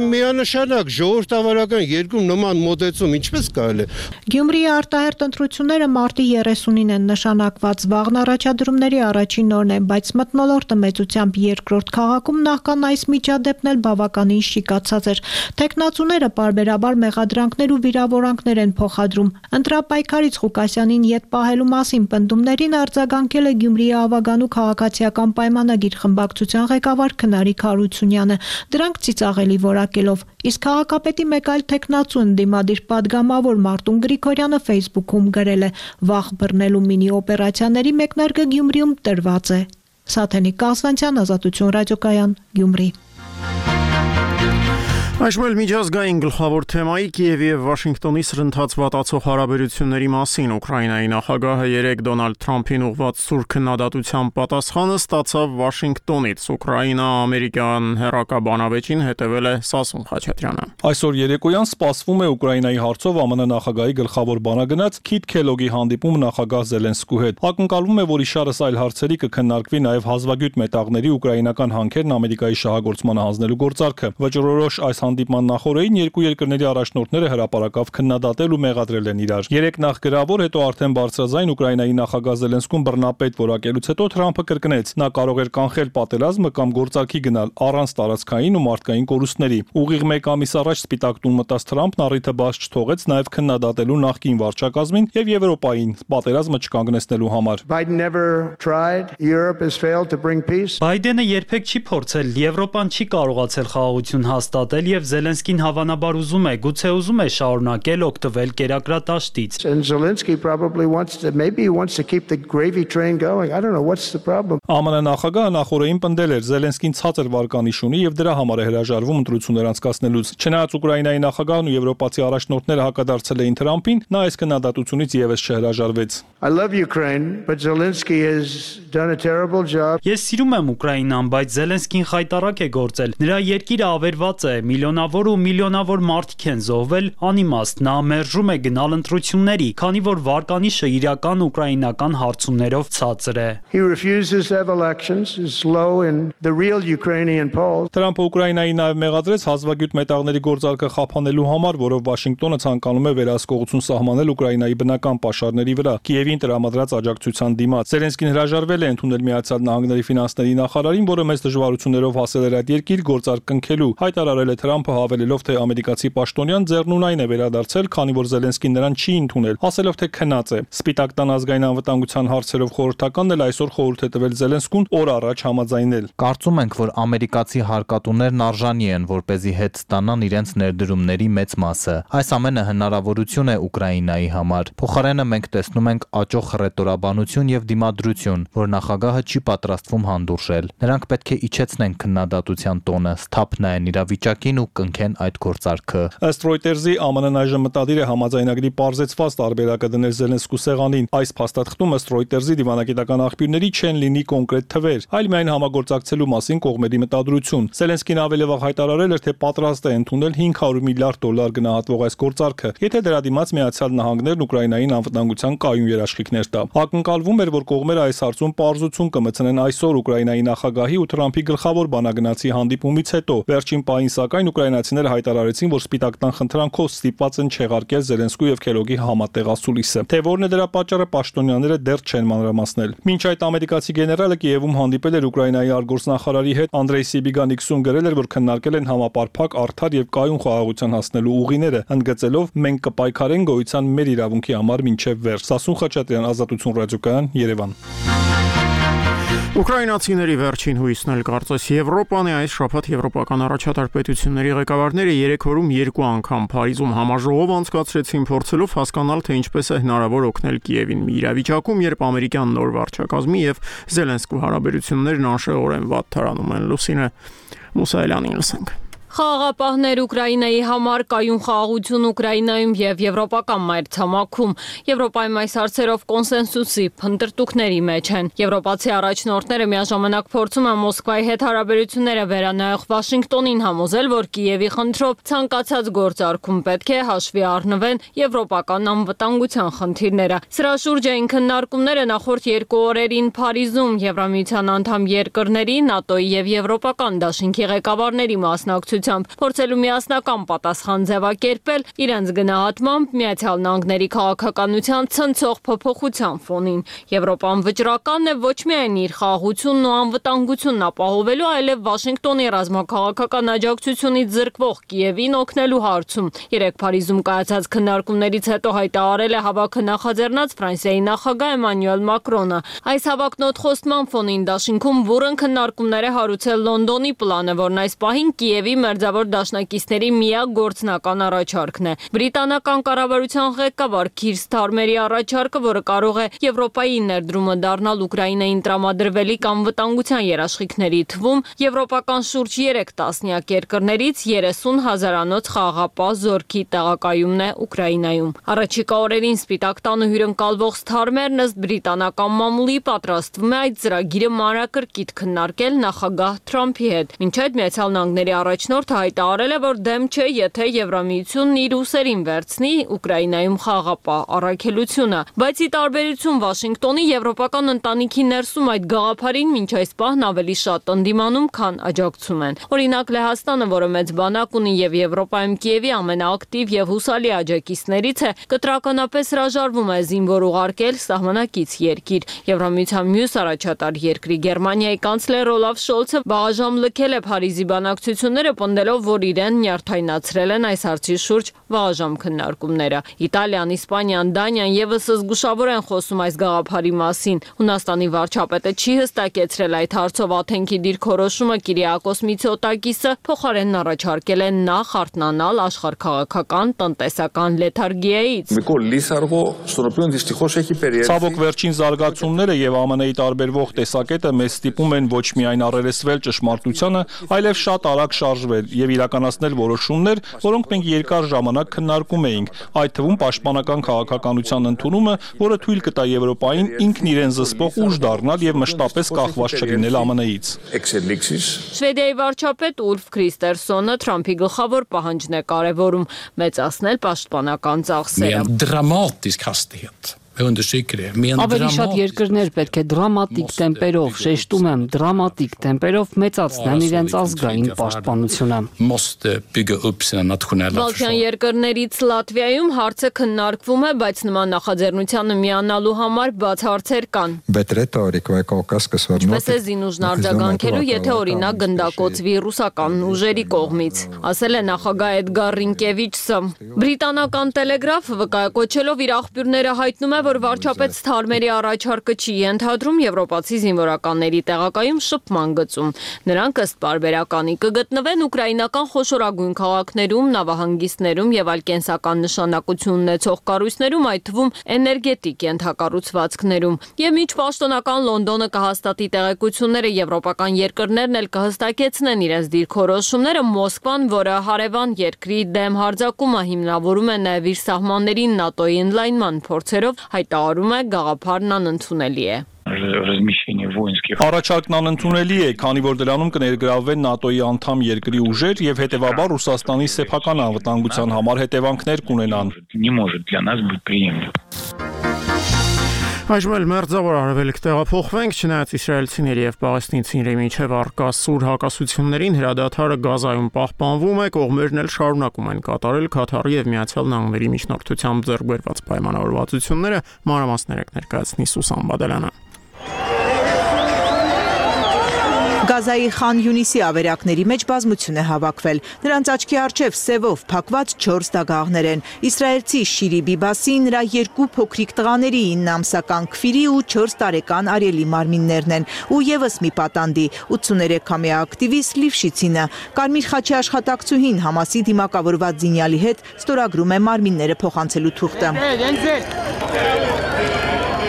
միանշանակ ժողովրդավարական երկրում նման մոտեցում ինչպես կարելի է։ Գյումրիի արտահերթ ընտրությունները մարտի երեսունին են նշանակված, վաղն առաջադրումների առաջին օրն են, բայց մթնոլորտը մեծությամբ երկրորդ քաղաքում նախքան այս միջադեպն էլ բավականին շիկացած էր։ Թեկնածուները պարբերաբար մեղադրանքներ ու վիրավորանքներ են փոխադրում։ Ընտրապայքարից Ղուկասյանին ետ պահելու մասին պնդումներին արձագանքել է Գյումրիի ավագանու քաղաքացիական պայմանագիր խմբակցության ղեկավար Քնարիկ Հարությունյանը, դրանք ծիծաղելի որակելով, իսկ քաղաքապետի մեկ այլ թեկնածու ընդդիմադիր պատգամավոր Մարտուն Գրիգորյանը Facebook-ում գրել է. «Վախ բռնելու մինի օպերացիաների մեկնարկը Գյումրիում տրված է»։ Սաթենիկ Կասվանցյան, Ազատություն ռադիոկայան, Գյումրի։ Այժմ էլ միջազգային գլխավոր թեմայի Կիևի եւ Վաշինգտոնի սրընթաց վատացող հարաբերությունների մասին Ուկրաինայի նախագահը երեկ Դոնալդ Թրամփին ուղղված սուր քննադատության պատասխանը ստացավ Վաշինգտոնից։ Ուկրաինա-ամերիկյան հեռակաբանավեճին հետևել է Սասուն Խաչատրյանը։ Այսօր երեկոյան սպասվում է Ուկրաինայի հարցով ԱՄՆ նախագահի գլխավոր բանագնաց Քիթ Քելոգի հանդիպում նախագահ Զելենսկու հետ։ Ակնկալվում է, որ իշարս այլ հարցերի կքննարկվի նաև հազվագյուտ մետաղների ուկրաինական հանքերն Ամերիկայի շահագործմանը հանձնելու գործարքը։ Վճռորոշ այս հանդիպման նախորդին երկու երկրների առաջնորդները հրապարակավ քննադատել ու մեղադրել են իրար։ Երեք նախ գրավոր, հետո արդեն բարձրաձայն Ուկրաինայի նախագահ Զելենսկուն բռնապետ որակելուց հետո Թրամփը կրկնեց. նա կարող էր կանխել պատերազմը կամ գործարքի գնալ առանց տարածքային ու մարդկային կորուստների։ Ուղիղ մեկ ամիս առաջ Սպիտակ տուն մտած Թրամփն առիթը բաց չթողեց նաև քննադատելու նախկին վարչակազմին եւ Եվրոպային պատերազմը չկանգնեցնելու համար։ Բայդենը երբեք չի փորձել, Եվրոպան չի կարողացել խաղաղություն հաստատել եւ Զելենսկին հավանաբար ուզում է, գուցե ուզում է շարունակել օգտվել կերակրատաշտից։ ԱՄՆ նախագահը նախորդին պնդել էր Զելենսկին ցածր վարկանիշ ունի եւ դրա համար է հրաժարվում ընտրություններ անցկացնելուց։ Չնայած Ուկրաինայի նախագահն ու եվրոպացի առաջնորդները հակադարձել էին Թրամփին, նա այս քննադատությունից եւս չհրաժարվեց։ Ես սիրում եմ Ուկրաինան, բայց Զելենսկին խայտառակ է գործել։ Նրա երկիրը ավերված է, միլիոնավոր ու միլիոնավոր մարդիկ են զոհվել, անիմաստ, նա մերժում է գնալ ընտրությունների, քանի որ վարկանիշը իրական ուկրաինական հարցումներով ցածր է։ Թրամփը Ուկրաինայի նաև մեղադրեց հազվագյուտ մետաղների գործարքը խափանելու համար, որով Վաշինգտոնը ցանկանում է վերահսկողություն սահմանել Ուկրաինայի բնական պաշարների վրա, Կիևին տրամադրած աջակցության դիմաց։ Զելենսկին հրաժարվել է ընդունել Միացյալ Նահանգների ֆինանսների նախարարին, որը մեծ դժվարություններով հասել էր այդ երկիր գործարք կնքելու։ Հայտարարել է Թրամփը, հավելելով, թե ամերիկացի պաշտոնյան ձեռնունայն է վերադարձել, քանի որ Զելենսկին նրան չի ընդունել, ասելով, թե քնած է։ Սպիտակ տան ազգային անվտանգության հարցերով խորհրդականն էլ այսօր խորհուրդ է տվել Զելենսկուն օր առաջ համաձայնել։ Կարծում ենք, որ ամերիկացի հարկատուներն արժանի են, որպեսզի հետ ստանան իրենց ներդրումների մեծ մասը։ Այս ամենը հնարավորություն է Ուկրաինայի համար։ Փոխարենը մենք տեսնում ենք աճող հռետորաբանություն եւ դիմադրություն, որ նախագահը չի պատրաստվում հանդուրժել։ Նրանք պետք է իջեցնեն քննադատության տոնը, սթափ նայեն իրավիճակին ու կնքեն այդ գործարքը։ Ըստ Reuters-ի ԱՄՆ-ն այժմ մտադիր է համաձայնագրի պարզեցված տարբերակը դնել Զելենսկու սեղանին։ Այս փաստաթղթում ըստ Reuters-ի դիվանագիտական աղբյուրների չեն լինի կոնկրետ թվեր, այլ միայն համագործակցելու մասին կողմերի մտադրություն։ Զելենսկին ավելի վաղ հայտարարել էր, թե պատրաստ է ընդունել հինգ հարյուր միլիարդ դոլար գնահատվող այս գործարքը, եթե դրա դիմաց Միացյալ Նահանգներն Ուկրաինային անվտանգության կայուն երաշխիքներ տա։ Ակնկալվում էր, որ կողմերը այս հարցում պարզություն կմտցնեն այսօր Ուկրաինայի նախագահի ու Թրամփի գլխավոր բանագնացի հանդիպումից հետո։ Վերջին պահին սակայն ուկրաինացիները հայտարարեցին, որ Սպիտակ տան խնդրանքով ստիպված են չեղարկել Զելենսկու եւ Քելոգի համատեղ ասուլիսը։ Թե որն է դրա պատճառը, պաշտոնյաները դեռ չեն մանրամասնել։ Մինչ այդ ամերիկացի գեներալը Կիևում հանդիպել էր Ուկրաինայի արտգործնախարարի հետ, Անդրեյ Սիբիգանիքսուն գրել էր, որ քննարկել են համապարփակ, արդար եւ կայուն խաղաղության հասնելու ուղիները, ընդգծելով մենք կպայքարենք գոյության մեր իրավունքի համար մինչեւ վերջ։ Սասուն Խաչատրյան, Ազատություն ռադիոկայան, Երևան։ Ուկրաինացիների վերջին հույսն էլ կարծես Եվրոպան է։ Այս շաբաթ եվրոպական առաջատար պետությունների ղեկավարները երեք օրում երկու անգամ Փարիզում համաժողով անցկացրեցին, փորձելով հասկանալ, թե ինչպես է հնարավոր օգնել Կիևին մի իրավիճակում, երբ ամերիկյան նոր վարչակազմի եւ Զելենսկու հարաբերություններն անշեղորեն վատ թարանում են։ Լուսինե Մուսայելյանին լսենք։ Խաղաղապահներ Ուկրաինայի համար կայուն խաղաղություն Ուկրաինայում եւ եվրոպական մայրցամաքում։ Եվրոպայում այս հարցերով կոնսենսուսի փնտրտուքների մեջ են։ Եվրոպացի առաջնորդները միաժամանակ փորձում են Մոսկվայի հետ հարաբերությունները վերանայող Վաշինգտոնին համոզել, որ Կիևի խնդրով ցանկացած գործարքում պետք է հաշվի առնվեն եվրոպական անվտանգության խնդիրները։ Սրա շուրջ էին քննարկումները նախորդ երկու օրերին Փարիզում Եվրամիության անդամ երկրների, ՆԱՏՕ-ի եւ Եվրոպական դաշինքի ղեկավարների մասնակցությամբ փորձելու միասնական պատասխան ձևակերպել իրենց գնահատմամբ Միացյալ Նահանգների քաղաքականության ցնցող փոփոխության ֆոնին։ Եվրոպան վճռական է ոչ միայն իր խաղաղությունն ու անվտանգությունն ապահովելու, այլև Վաշինգտոնի ռազմաքաղաքական աջակցությունից զրկվող Կիևին օգնելու հարցում։ Երեկ Փարիզում կայացած քննարկումներից հետո հայտարարել է հավաքը նախաձեռնած Ֆրանսիայի նախագահ Էմանուել Մակրոնը։ Այս հավաքն օդխոստման ֆոնին դաշինքում բուռն քննարկումներ է հարուցել Լոնդոնի պլանը, որն այս պահին Կիևի մերձավոր դաշնակիցների միակ գործնական առաջարկն է։ Բրիտանական կառավարության ղեկավար Քիր Սթարմերի առաջարկը, որը կարող է Եվրոպայի ներդրումը դառնալ Ուկրաինային տրամադրվելիք անվտանգության երաշխիքների թվում, եվրոպական շուրջ երեք տասնյակ երկրներից երեսուն հազարանոց խաղաղապահ զորքի տեղակայումն է Ուկրաինայում։ Առաջիկա օրերին Սպիտակ տանը հյուրընկալվող Սթարմերն ըստ բրիտանական մամուլի պատրաստվում է այդ ծրագիրը մանրակրկիտ քննարկել նախագահ Թրամփի հետ։ Մինչ այդ Միացյալ Նահանգների առաջնորդը հայտարարել է, որ դեմ չէ, եթե Եվրամիությունն իր ուսերին վերցնի Ուկրաինայում խաղաղապահ առաքելությունը, բայց ի տարբերություն Վաշինգտոնի եվրոպական ընտանիքի ներսում այդ գաղափարին մինչ այս պահն ավելի շատ ընդդիմանում, քան աջակցում են։ Օրինակ Լեհաստանը, որը մեծ բանակ ունի եւ Եվրոպայում Կիևի ամենաակտիվ եւ հուսալի աջակիցներից է, կտրականապես հրաժարվում է զինվոր ուղարկել սահմանակից երկիր։ Եվրամիության մյուս առաջատար երկրի Գերմանիայի կանցլեր Օլաֆ Շոլցը բաղաժամ լքել է Փարիզի բանակցությունները, պնդելով, որ իրեն նյարդայնացրել են այս հարցի շուրջ վաղաժամ քննարկումները։ Իտալիան, Իսպանիան, Դանիան եւս զգուշավոր են խոսում այս գաղափարի մասին։ Հունաստանի վարչապետը չի հստակեցրել այդ հարցով Աթենքի դիրքորոշումը Կիրիակոս Միցոտակիսը փոխարենն առաջարկել է նախ արթնանալ աշխարհքաղաքական տնտեսական լեթարգիայից։ Ցավոք վերջին զարգացումները եւ ԱՄՆ-ի տարբերվող տեսակետը մեզ ստիպում են ոչ միայն առերեսվել ճշմարտությանը, այլև շատ արագ շարժվել եւ իրականացնել որոշումներ, որոնք մենք երկար ժամանակ քննարկում էինք, այդ թվում պաշտպանական քաղաքականության ընդունումը, որը թույլ կտա Եվրոպային ինքն իրեն զսպող ուժ դառնալ եւ մշտապես կախված չլինել ԱՄՆ-ից։ Շվեդիայի վարչապետ Ուլֆ Քրիստերսոնը Թրամփի գլխավոր պահանջն է կարևորում՝ մեծացնել պաշտպանական ծախսերը։ Ավելի շատ երկրներ պետք է դրամատիկ տեմպերով, շեշտում եմ, դրամատիկ տեմպերով մեծացնեն իրենց ազգային պաշտպանությունը։ Բալթյան երկրներից Լատվիայում հարցը քննարկվում է, բայց նման նախաձեռնությանը միանալու համար բաց հարցեր կան։ Ինչպես է զինուժն արձագանքելու, եթե օրինակ գնդակոծվի ռուսական ուժերի կողմից, ասել է նախագահ Էդգար Ռինկևիչսը։ Բրիտանական Տելեգրաֆը վկայակոչելով իր աղբյուրները հայտնում է, որ վարչապետ Սթարմերի առաջարկը չի ենթադրում եվրոպացի զինվորականների տեղակայում շփման գծում։ Նրանք ըստ պարբերականի կգտնվեն ուկրաինական խոշորագույն քաղաքներում, նավահանգիստներում եւ այլ կենսական նշանակություն ունեցող կառույցներում, այդ թվում էներգետիկ ենթակառուցվածքներում։ Եվ միջ պաշտոնական Լոնդոնը կհաստատի տեղեկությունները, եվրոպական երկրներն էլ կհստակեցնեն իրենց դիրքորոշումները, Մոսկվան, որը հարևան երկրի դեմ հարձակումը հիմնավորում է նաեւ իր սահմաններին ՆԱՏՕ-ի ընդլայնման փորձերով, հայտարարում է գաղափարն անընդունելի է։ Առաջարկն անընդունելի է, քանի որ դրանում կներգրավվեն ՆԱՏՕ-ի անդամ երկրի ուժեր եւ հետեւաբար Ռուսաստանի սեփական անվտանգության համար հետևանքներ կունենան։ Այժմ էլ մերձավոր արևելք տեղափոխվենք, չնայած իսրայելցիների եւ պաղեստինցիների միջև առկա սուր հակասություններին հրադադարը Գազայում պահպանվում է, կողմերն էլ շարունակում են կատարել Քաթարի եւ Միացյալ Նահանգների միջնորդությամբ ձեռք բերված պայմանավորվածությունները, մանրամասներ ներկայացնի Սուսան Բադելյանը։ Գազայի Խան Յունիսի ավերակների մեջ բազմություն է հավաքվել։ Նրանց աչքի առջև սևով փակված չորս դագաղներ են։ Իսրայելցի Շիրի Բիբասի, նրա երկու փոքրիկ տղաների ինը ամսական Քվիրի ու չորս տարեկան Արիելի մարմիններն են, ու եւս մի պատանդի ութսուներեքամյա ակտիվիստ Լիվշիցինը։ Կարմիր խաչի աշխատակցուհին Համասի դիմակավորված զինյալի հետ ստորագրում է մարմինները փոխանցելու թուղթը։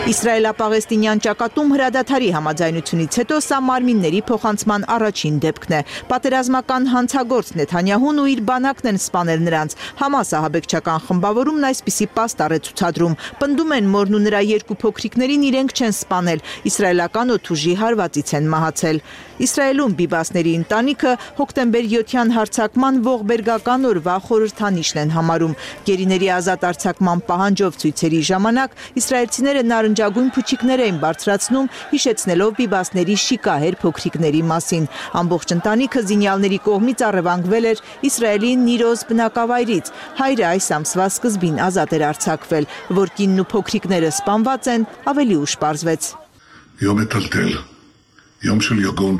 Իսրայելա-պաղեստինյան ճակատում հրադադարի համաձայնությունից հետո սա մարմինների փոխանցման առաջին դեպքն է։ Պատերազմական հանցագործ Նեթանյահուն ու իր բանակն են սպանել նրանց։ Համաս ահաբեկչական խմբավորումն այսպիսի պաստառ է ցուցադրում։ Պնդում են մորն ու նրա երկու փոքրիկներին իրենք չեն սպանել, իսրայելական օդուժի հարվածից են մահացել։ Իսրայելում Բիբասների ընտանիքը հոկտեմբեր յոթյան հարձակման ողբերգական օրվա խորհրդանիշն են համարում։ Գերիների ազատ արձակման պահանջով ցույցերի ժամանակ իսրայելցիները նարնջագույն փուչիկներ էին բարձրացնում, հիշեցնելով Բիբասների շիկահեր փոքրիկների մասին։ Ամբողջ ընտանիքը զինյալների կողմից առևանգվել էր Իսրայելի Նիրոզ բնակավայրից։ Հայրը այս ամսվա սկզբին ազատ էր արձակվել, որ կինն ու փոքրիկները սպանված են, ավելի ուշ պարզվեց։ Yom metaltel, yom shel yogon.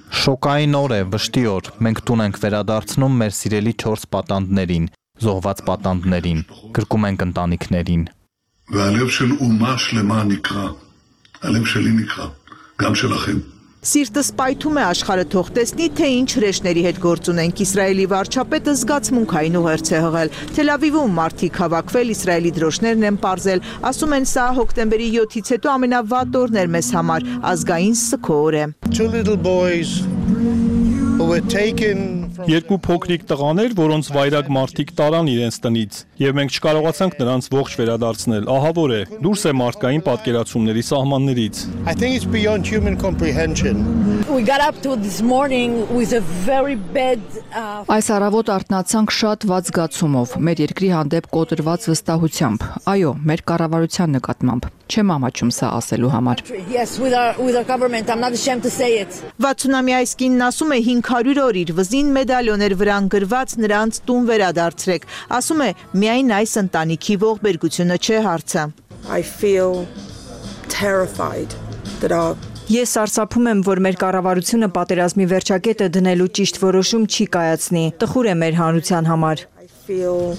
Շոկային օր է, վշտի օր։ Մենք տուն ենք վերադարձնում մեր սիրելի չորս պատանդներին, զոհված պատանդներին, գրկում ենք ընտանիքներին։ והלב של אומה שלמה נקרא, הלב שלי נקרא, גם שלכם. Սիրտս պայթում է աշխարհը թող տեսնի, թե ինչ հրեշների հետ գործ ունենք։ Իսրայելի վարչապետը զգացմունքային ուղերձ է հղել։ Թել Ավիվում մարդիկ հավաքվել, Իսրայելի դրոշներն են պարզել, ասում են սա հոկտեմբերի յոթից հետո ամենավատ օրն էր մեզ համար, ազգային սգո օր է։ Երկու փոքրիկ տղաներ, որոնց վայրագ մարդիկ տարան իրենց տնից, եւ մենք չկարողացանք նրանց ողջ վերադարձնել։ Ահավոր է, դուրս է մարդկային պատկերացումների սահմաններից։ I think it's beyond human comprehension. We got up to this morning with a very bad uh... Այս առավոտ արթնացանք շատ վատ զգացումով, մեր երկրի հանդեպ կոտրված վստահությամբ։ Այո, մեր կառավարության նկատմամբ։ Չեմ ամաչում սա ասելու համար։ Yes, with our with our government, I'm not ashamed to say it. վաթսունամյա այս կինն ասում է հինգ հարյուր օր իր վզին մեդալյոներ վրան գրված նրանց տուն վերադարձրեք։ Ասում է միայն այս ընտանիքի ողբերգությունը չէ հարցը։ I feel terrified that our Ես սարսափում եմ, որ մեր կառավարությունը պատերազմի վերջակետը դնելու ճիշտ որոշում չի կայացնի։ Տխուր է մեր հանրության համար։ I feel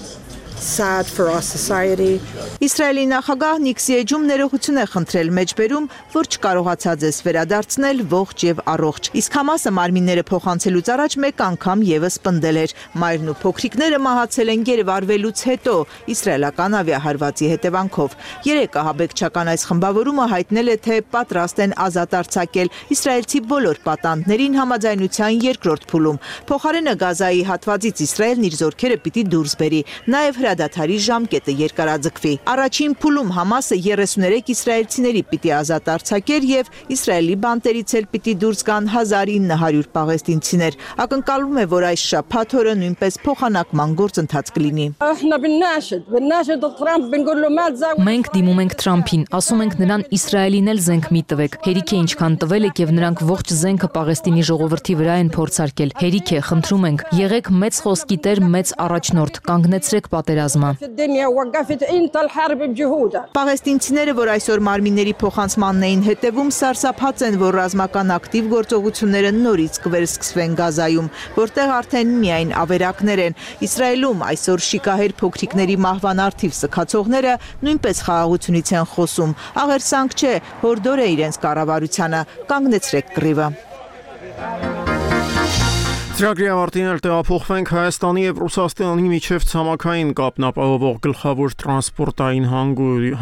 sad for our society. Իսրայելի նախագահ Նիքսի Էջում ներողություն է խնդրել մեջբերում, որ չկարողացած ես վերադարձնել ողջ եւ առողջ։ Իսկ Համասը մարմինները փոխանցելուց առաջ մեկ անգամ եւս պնդել էր։ Մայրն ու փոքրիկները մահացել են գերվարվելուց հետո իսրայելական ավիահարվածի հետևանքով։ Երեք ահաբեկչական այս խմբավորումը հայտնել է, թե պատրաստ են ազատ արձակել իսրայելցի բոլոր պատանդներին համաձայնության երկրորդ փուլում։ Փոխարենը Գազայի հատվածից Իսրայելն իր զորքերը պիտի դուրս բերի։ Նաեւ հրադադարի ժամկետը երկարաձգվի։ Առաջին փուլում Համասը երեսուներեք իսրայելցիների պիտի ազատ արձակեր եւ Իսրայելի բանտերից էլ պիտի դուրս գան հազար ինը հարյուր պաղեստինցիներ։ Ակնկալվում է, որ այս շաբաթ օրը նույնպես փոխանակման գործընթաց կլինի։ Մենք դիմում ենք Թրամփին, ասում ենք նրան Իսրայելին էլ զենք մի տվեք։ Հերիք է ինչքան տվել եք եւ նրանք ողջ զենքը Պաղեստինի ժողովրդի վրա են փորձարկել։ Հերիք է, խնդրում ենք, եղեք մեծ խոսքի տեր, մեծ առաջնորդ, կանգնեցրեք պատերազմը։ Պաղեստինցիները, որ այսօր մարմինների փոխանցմանն էին հետևում, սարսափած են, որ ռազմական ակտիվ գործողությունները նորից կվերսկսվեն Գազայում, որտեղ արդեն միայն ավերակներ են։ Իսրայելում այսօր շիկահեր փոքրիկների մահվան արդիվ սքացողները նույնպես խաղաղությունից են խոսում։ Աղերսանք չէ, հորդոր է իրենց կառավարությանը, կանգնեցրեք կռիվը։ Ծրագրի ավարտին էլ տեղափոխվենք Հայաստանի եւ Ռուսաստանի միջև ցամաքային կապն ապահովող գլխավոր տրանսպորտային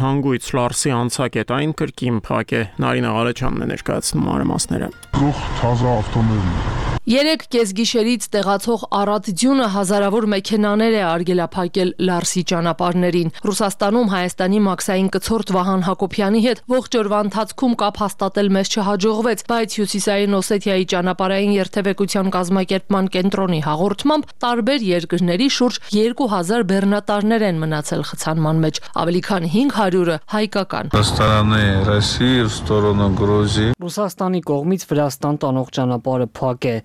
հանգույց Լարսի անցակետային կրկին փակ է։ Նարինե Ղալեչյանն է ներկայացնում մանրամասները։ Գլուխ թազա ավտոմոբիլ։ Երեք կեսգիշերից տեղացող առատ ձյունը հազարավոր մեքենաներ է արգելափակել Լարսի ճանապարհներին։ Ռուսաստանում Հայաստանի մաքսային կցորդ Վահան Հակոբյանի հետ ողջ օրվա ընթացքում կապ հաստատել մեզ չհաջողվեց, բայց Հյուսիսային Օսեթիայի ճանապարհային երթևեկության կազմակերպման կենտրոնի հաղորդմամբ տարբեր երկրների շուրջ երկու հազար բեռնատարներ են մնացել խցանման մեջ, ավելի քան հինգ հարյուրը հայկական։ Ռուսաստանի կողմից Վրաստան տանող ճանապարհը փակ է։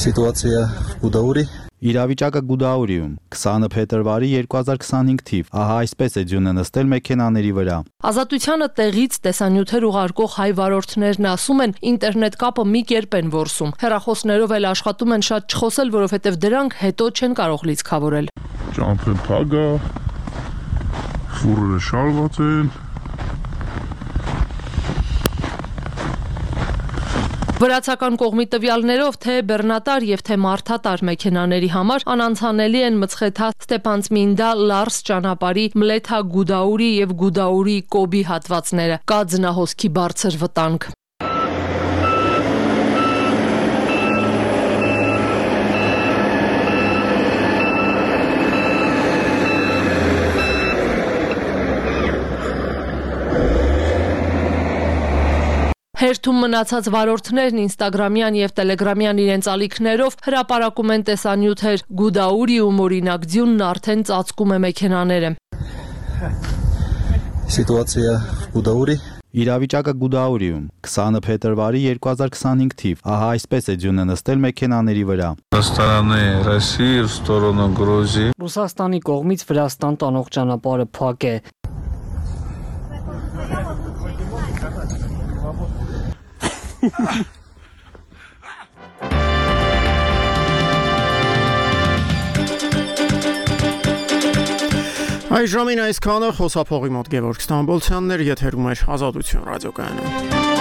Սիտուացիա Գուդաուրի Իրավիճակը Գուդաուրիում քսանը փետրվարի երկու հազար քսանհինգ թիվ ահա այսպես է ձյունը նստել մեքենաների վրա։ Ազատությանը տեղից տեսանյութեր ուղարկող հայ վարորդներն ասում են ինտերնետ կապը մի կերպ են որսում։ Հեռախոսներով էլ աշխատում են շատ չխոսել, որովհետև դրանք հետո չեն կարող լիցքավորել։ Ճամփը փագա, ֆուրերը շարված են։ Վրացական կողմի տվյալներով թե բեռնատար եւ թե մարդատար մեքենաների համար անանցանելի են Մցխեթա Ստեփանցմինդա Լարս ճանապարհի Մլեթա Գուդաուրի եւ Գուդաուրի Կոբի հատվածները։ Կա ձնահոսքի բարձր վտանգ։ Հերթում մնացած վարորդներն ինստագրամյան եւ տելեգրամյան իրենց ալիքներով հրապարակում են տեսանյութեր։ Գուդաուրիում օրինակ ձյունն արդեն ծածկում է մեքենաները։ Սիտուացիա Գուդաուրի Իրավիճակը Գուդաուրիում քսանը փետրվարի երկու հազար քսանհինգ թիվ։ Ահա այսպես է ձյունը նստել մեքենաների վրա։ Ռուսաստանի կողմից Վրաստան տանող ճանապարհը փակ է։ Այժմին այսքանը խոսափողի մոտ Գևորգ Ստամբոլցյանն էր, եթերում էր Ազատություն ռադիոկայանը։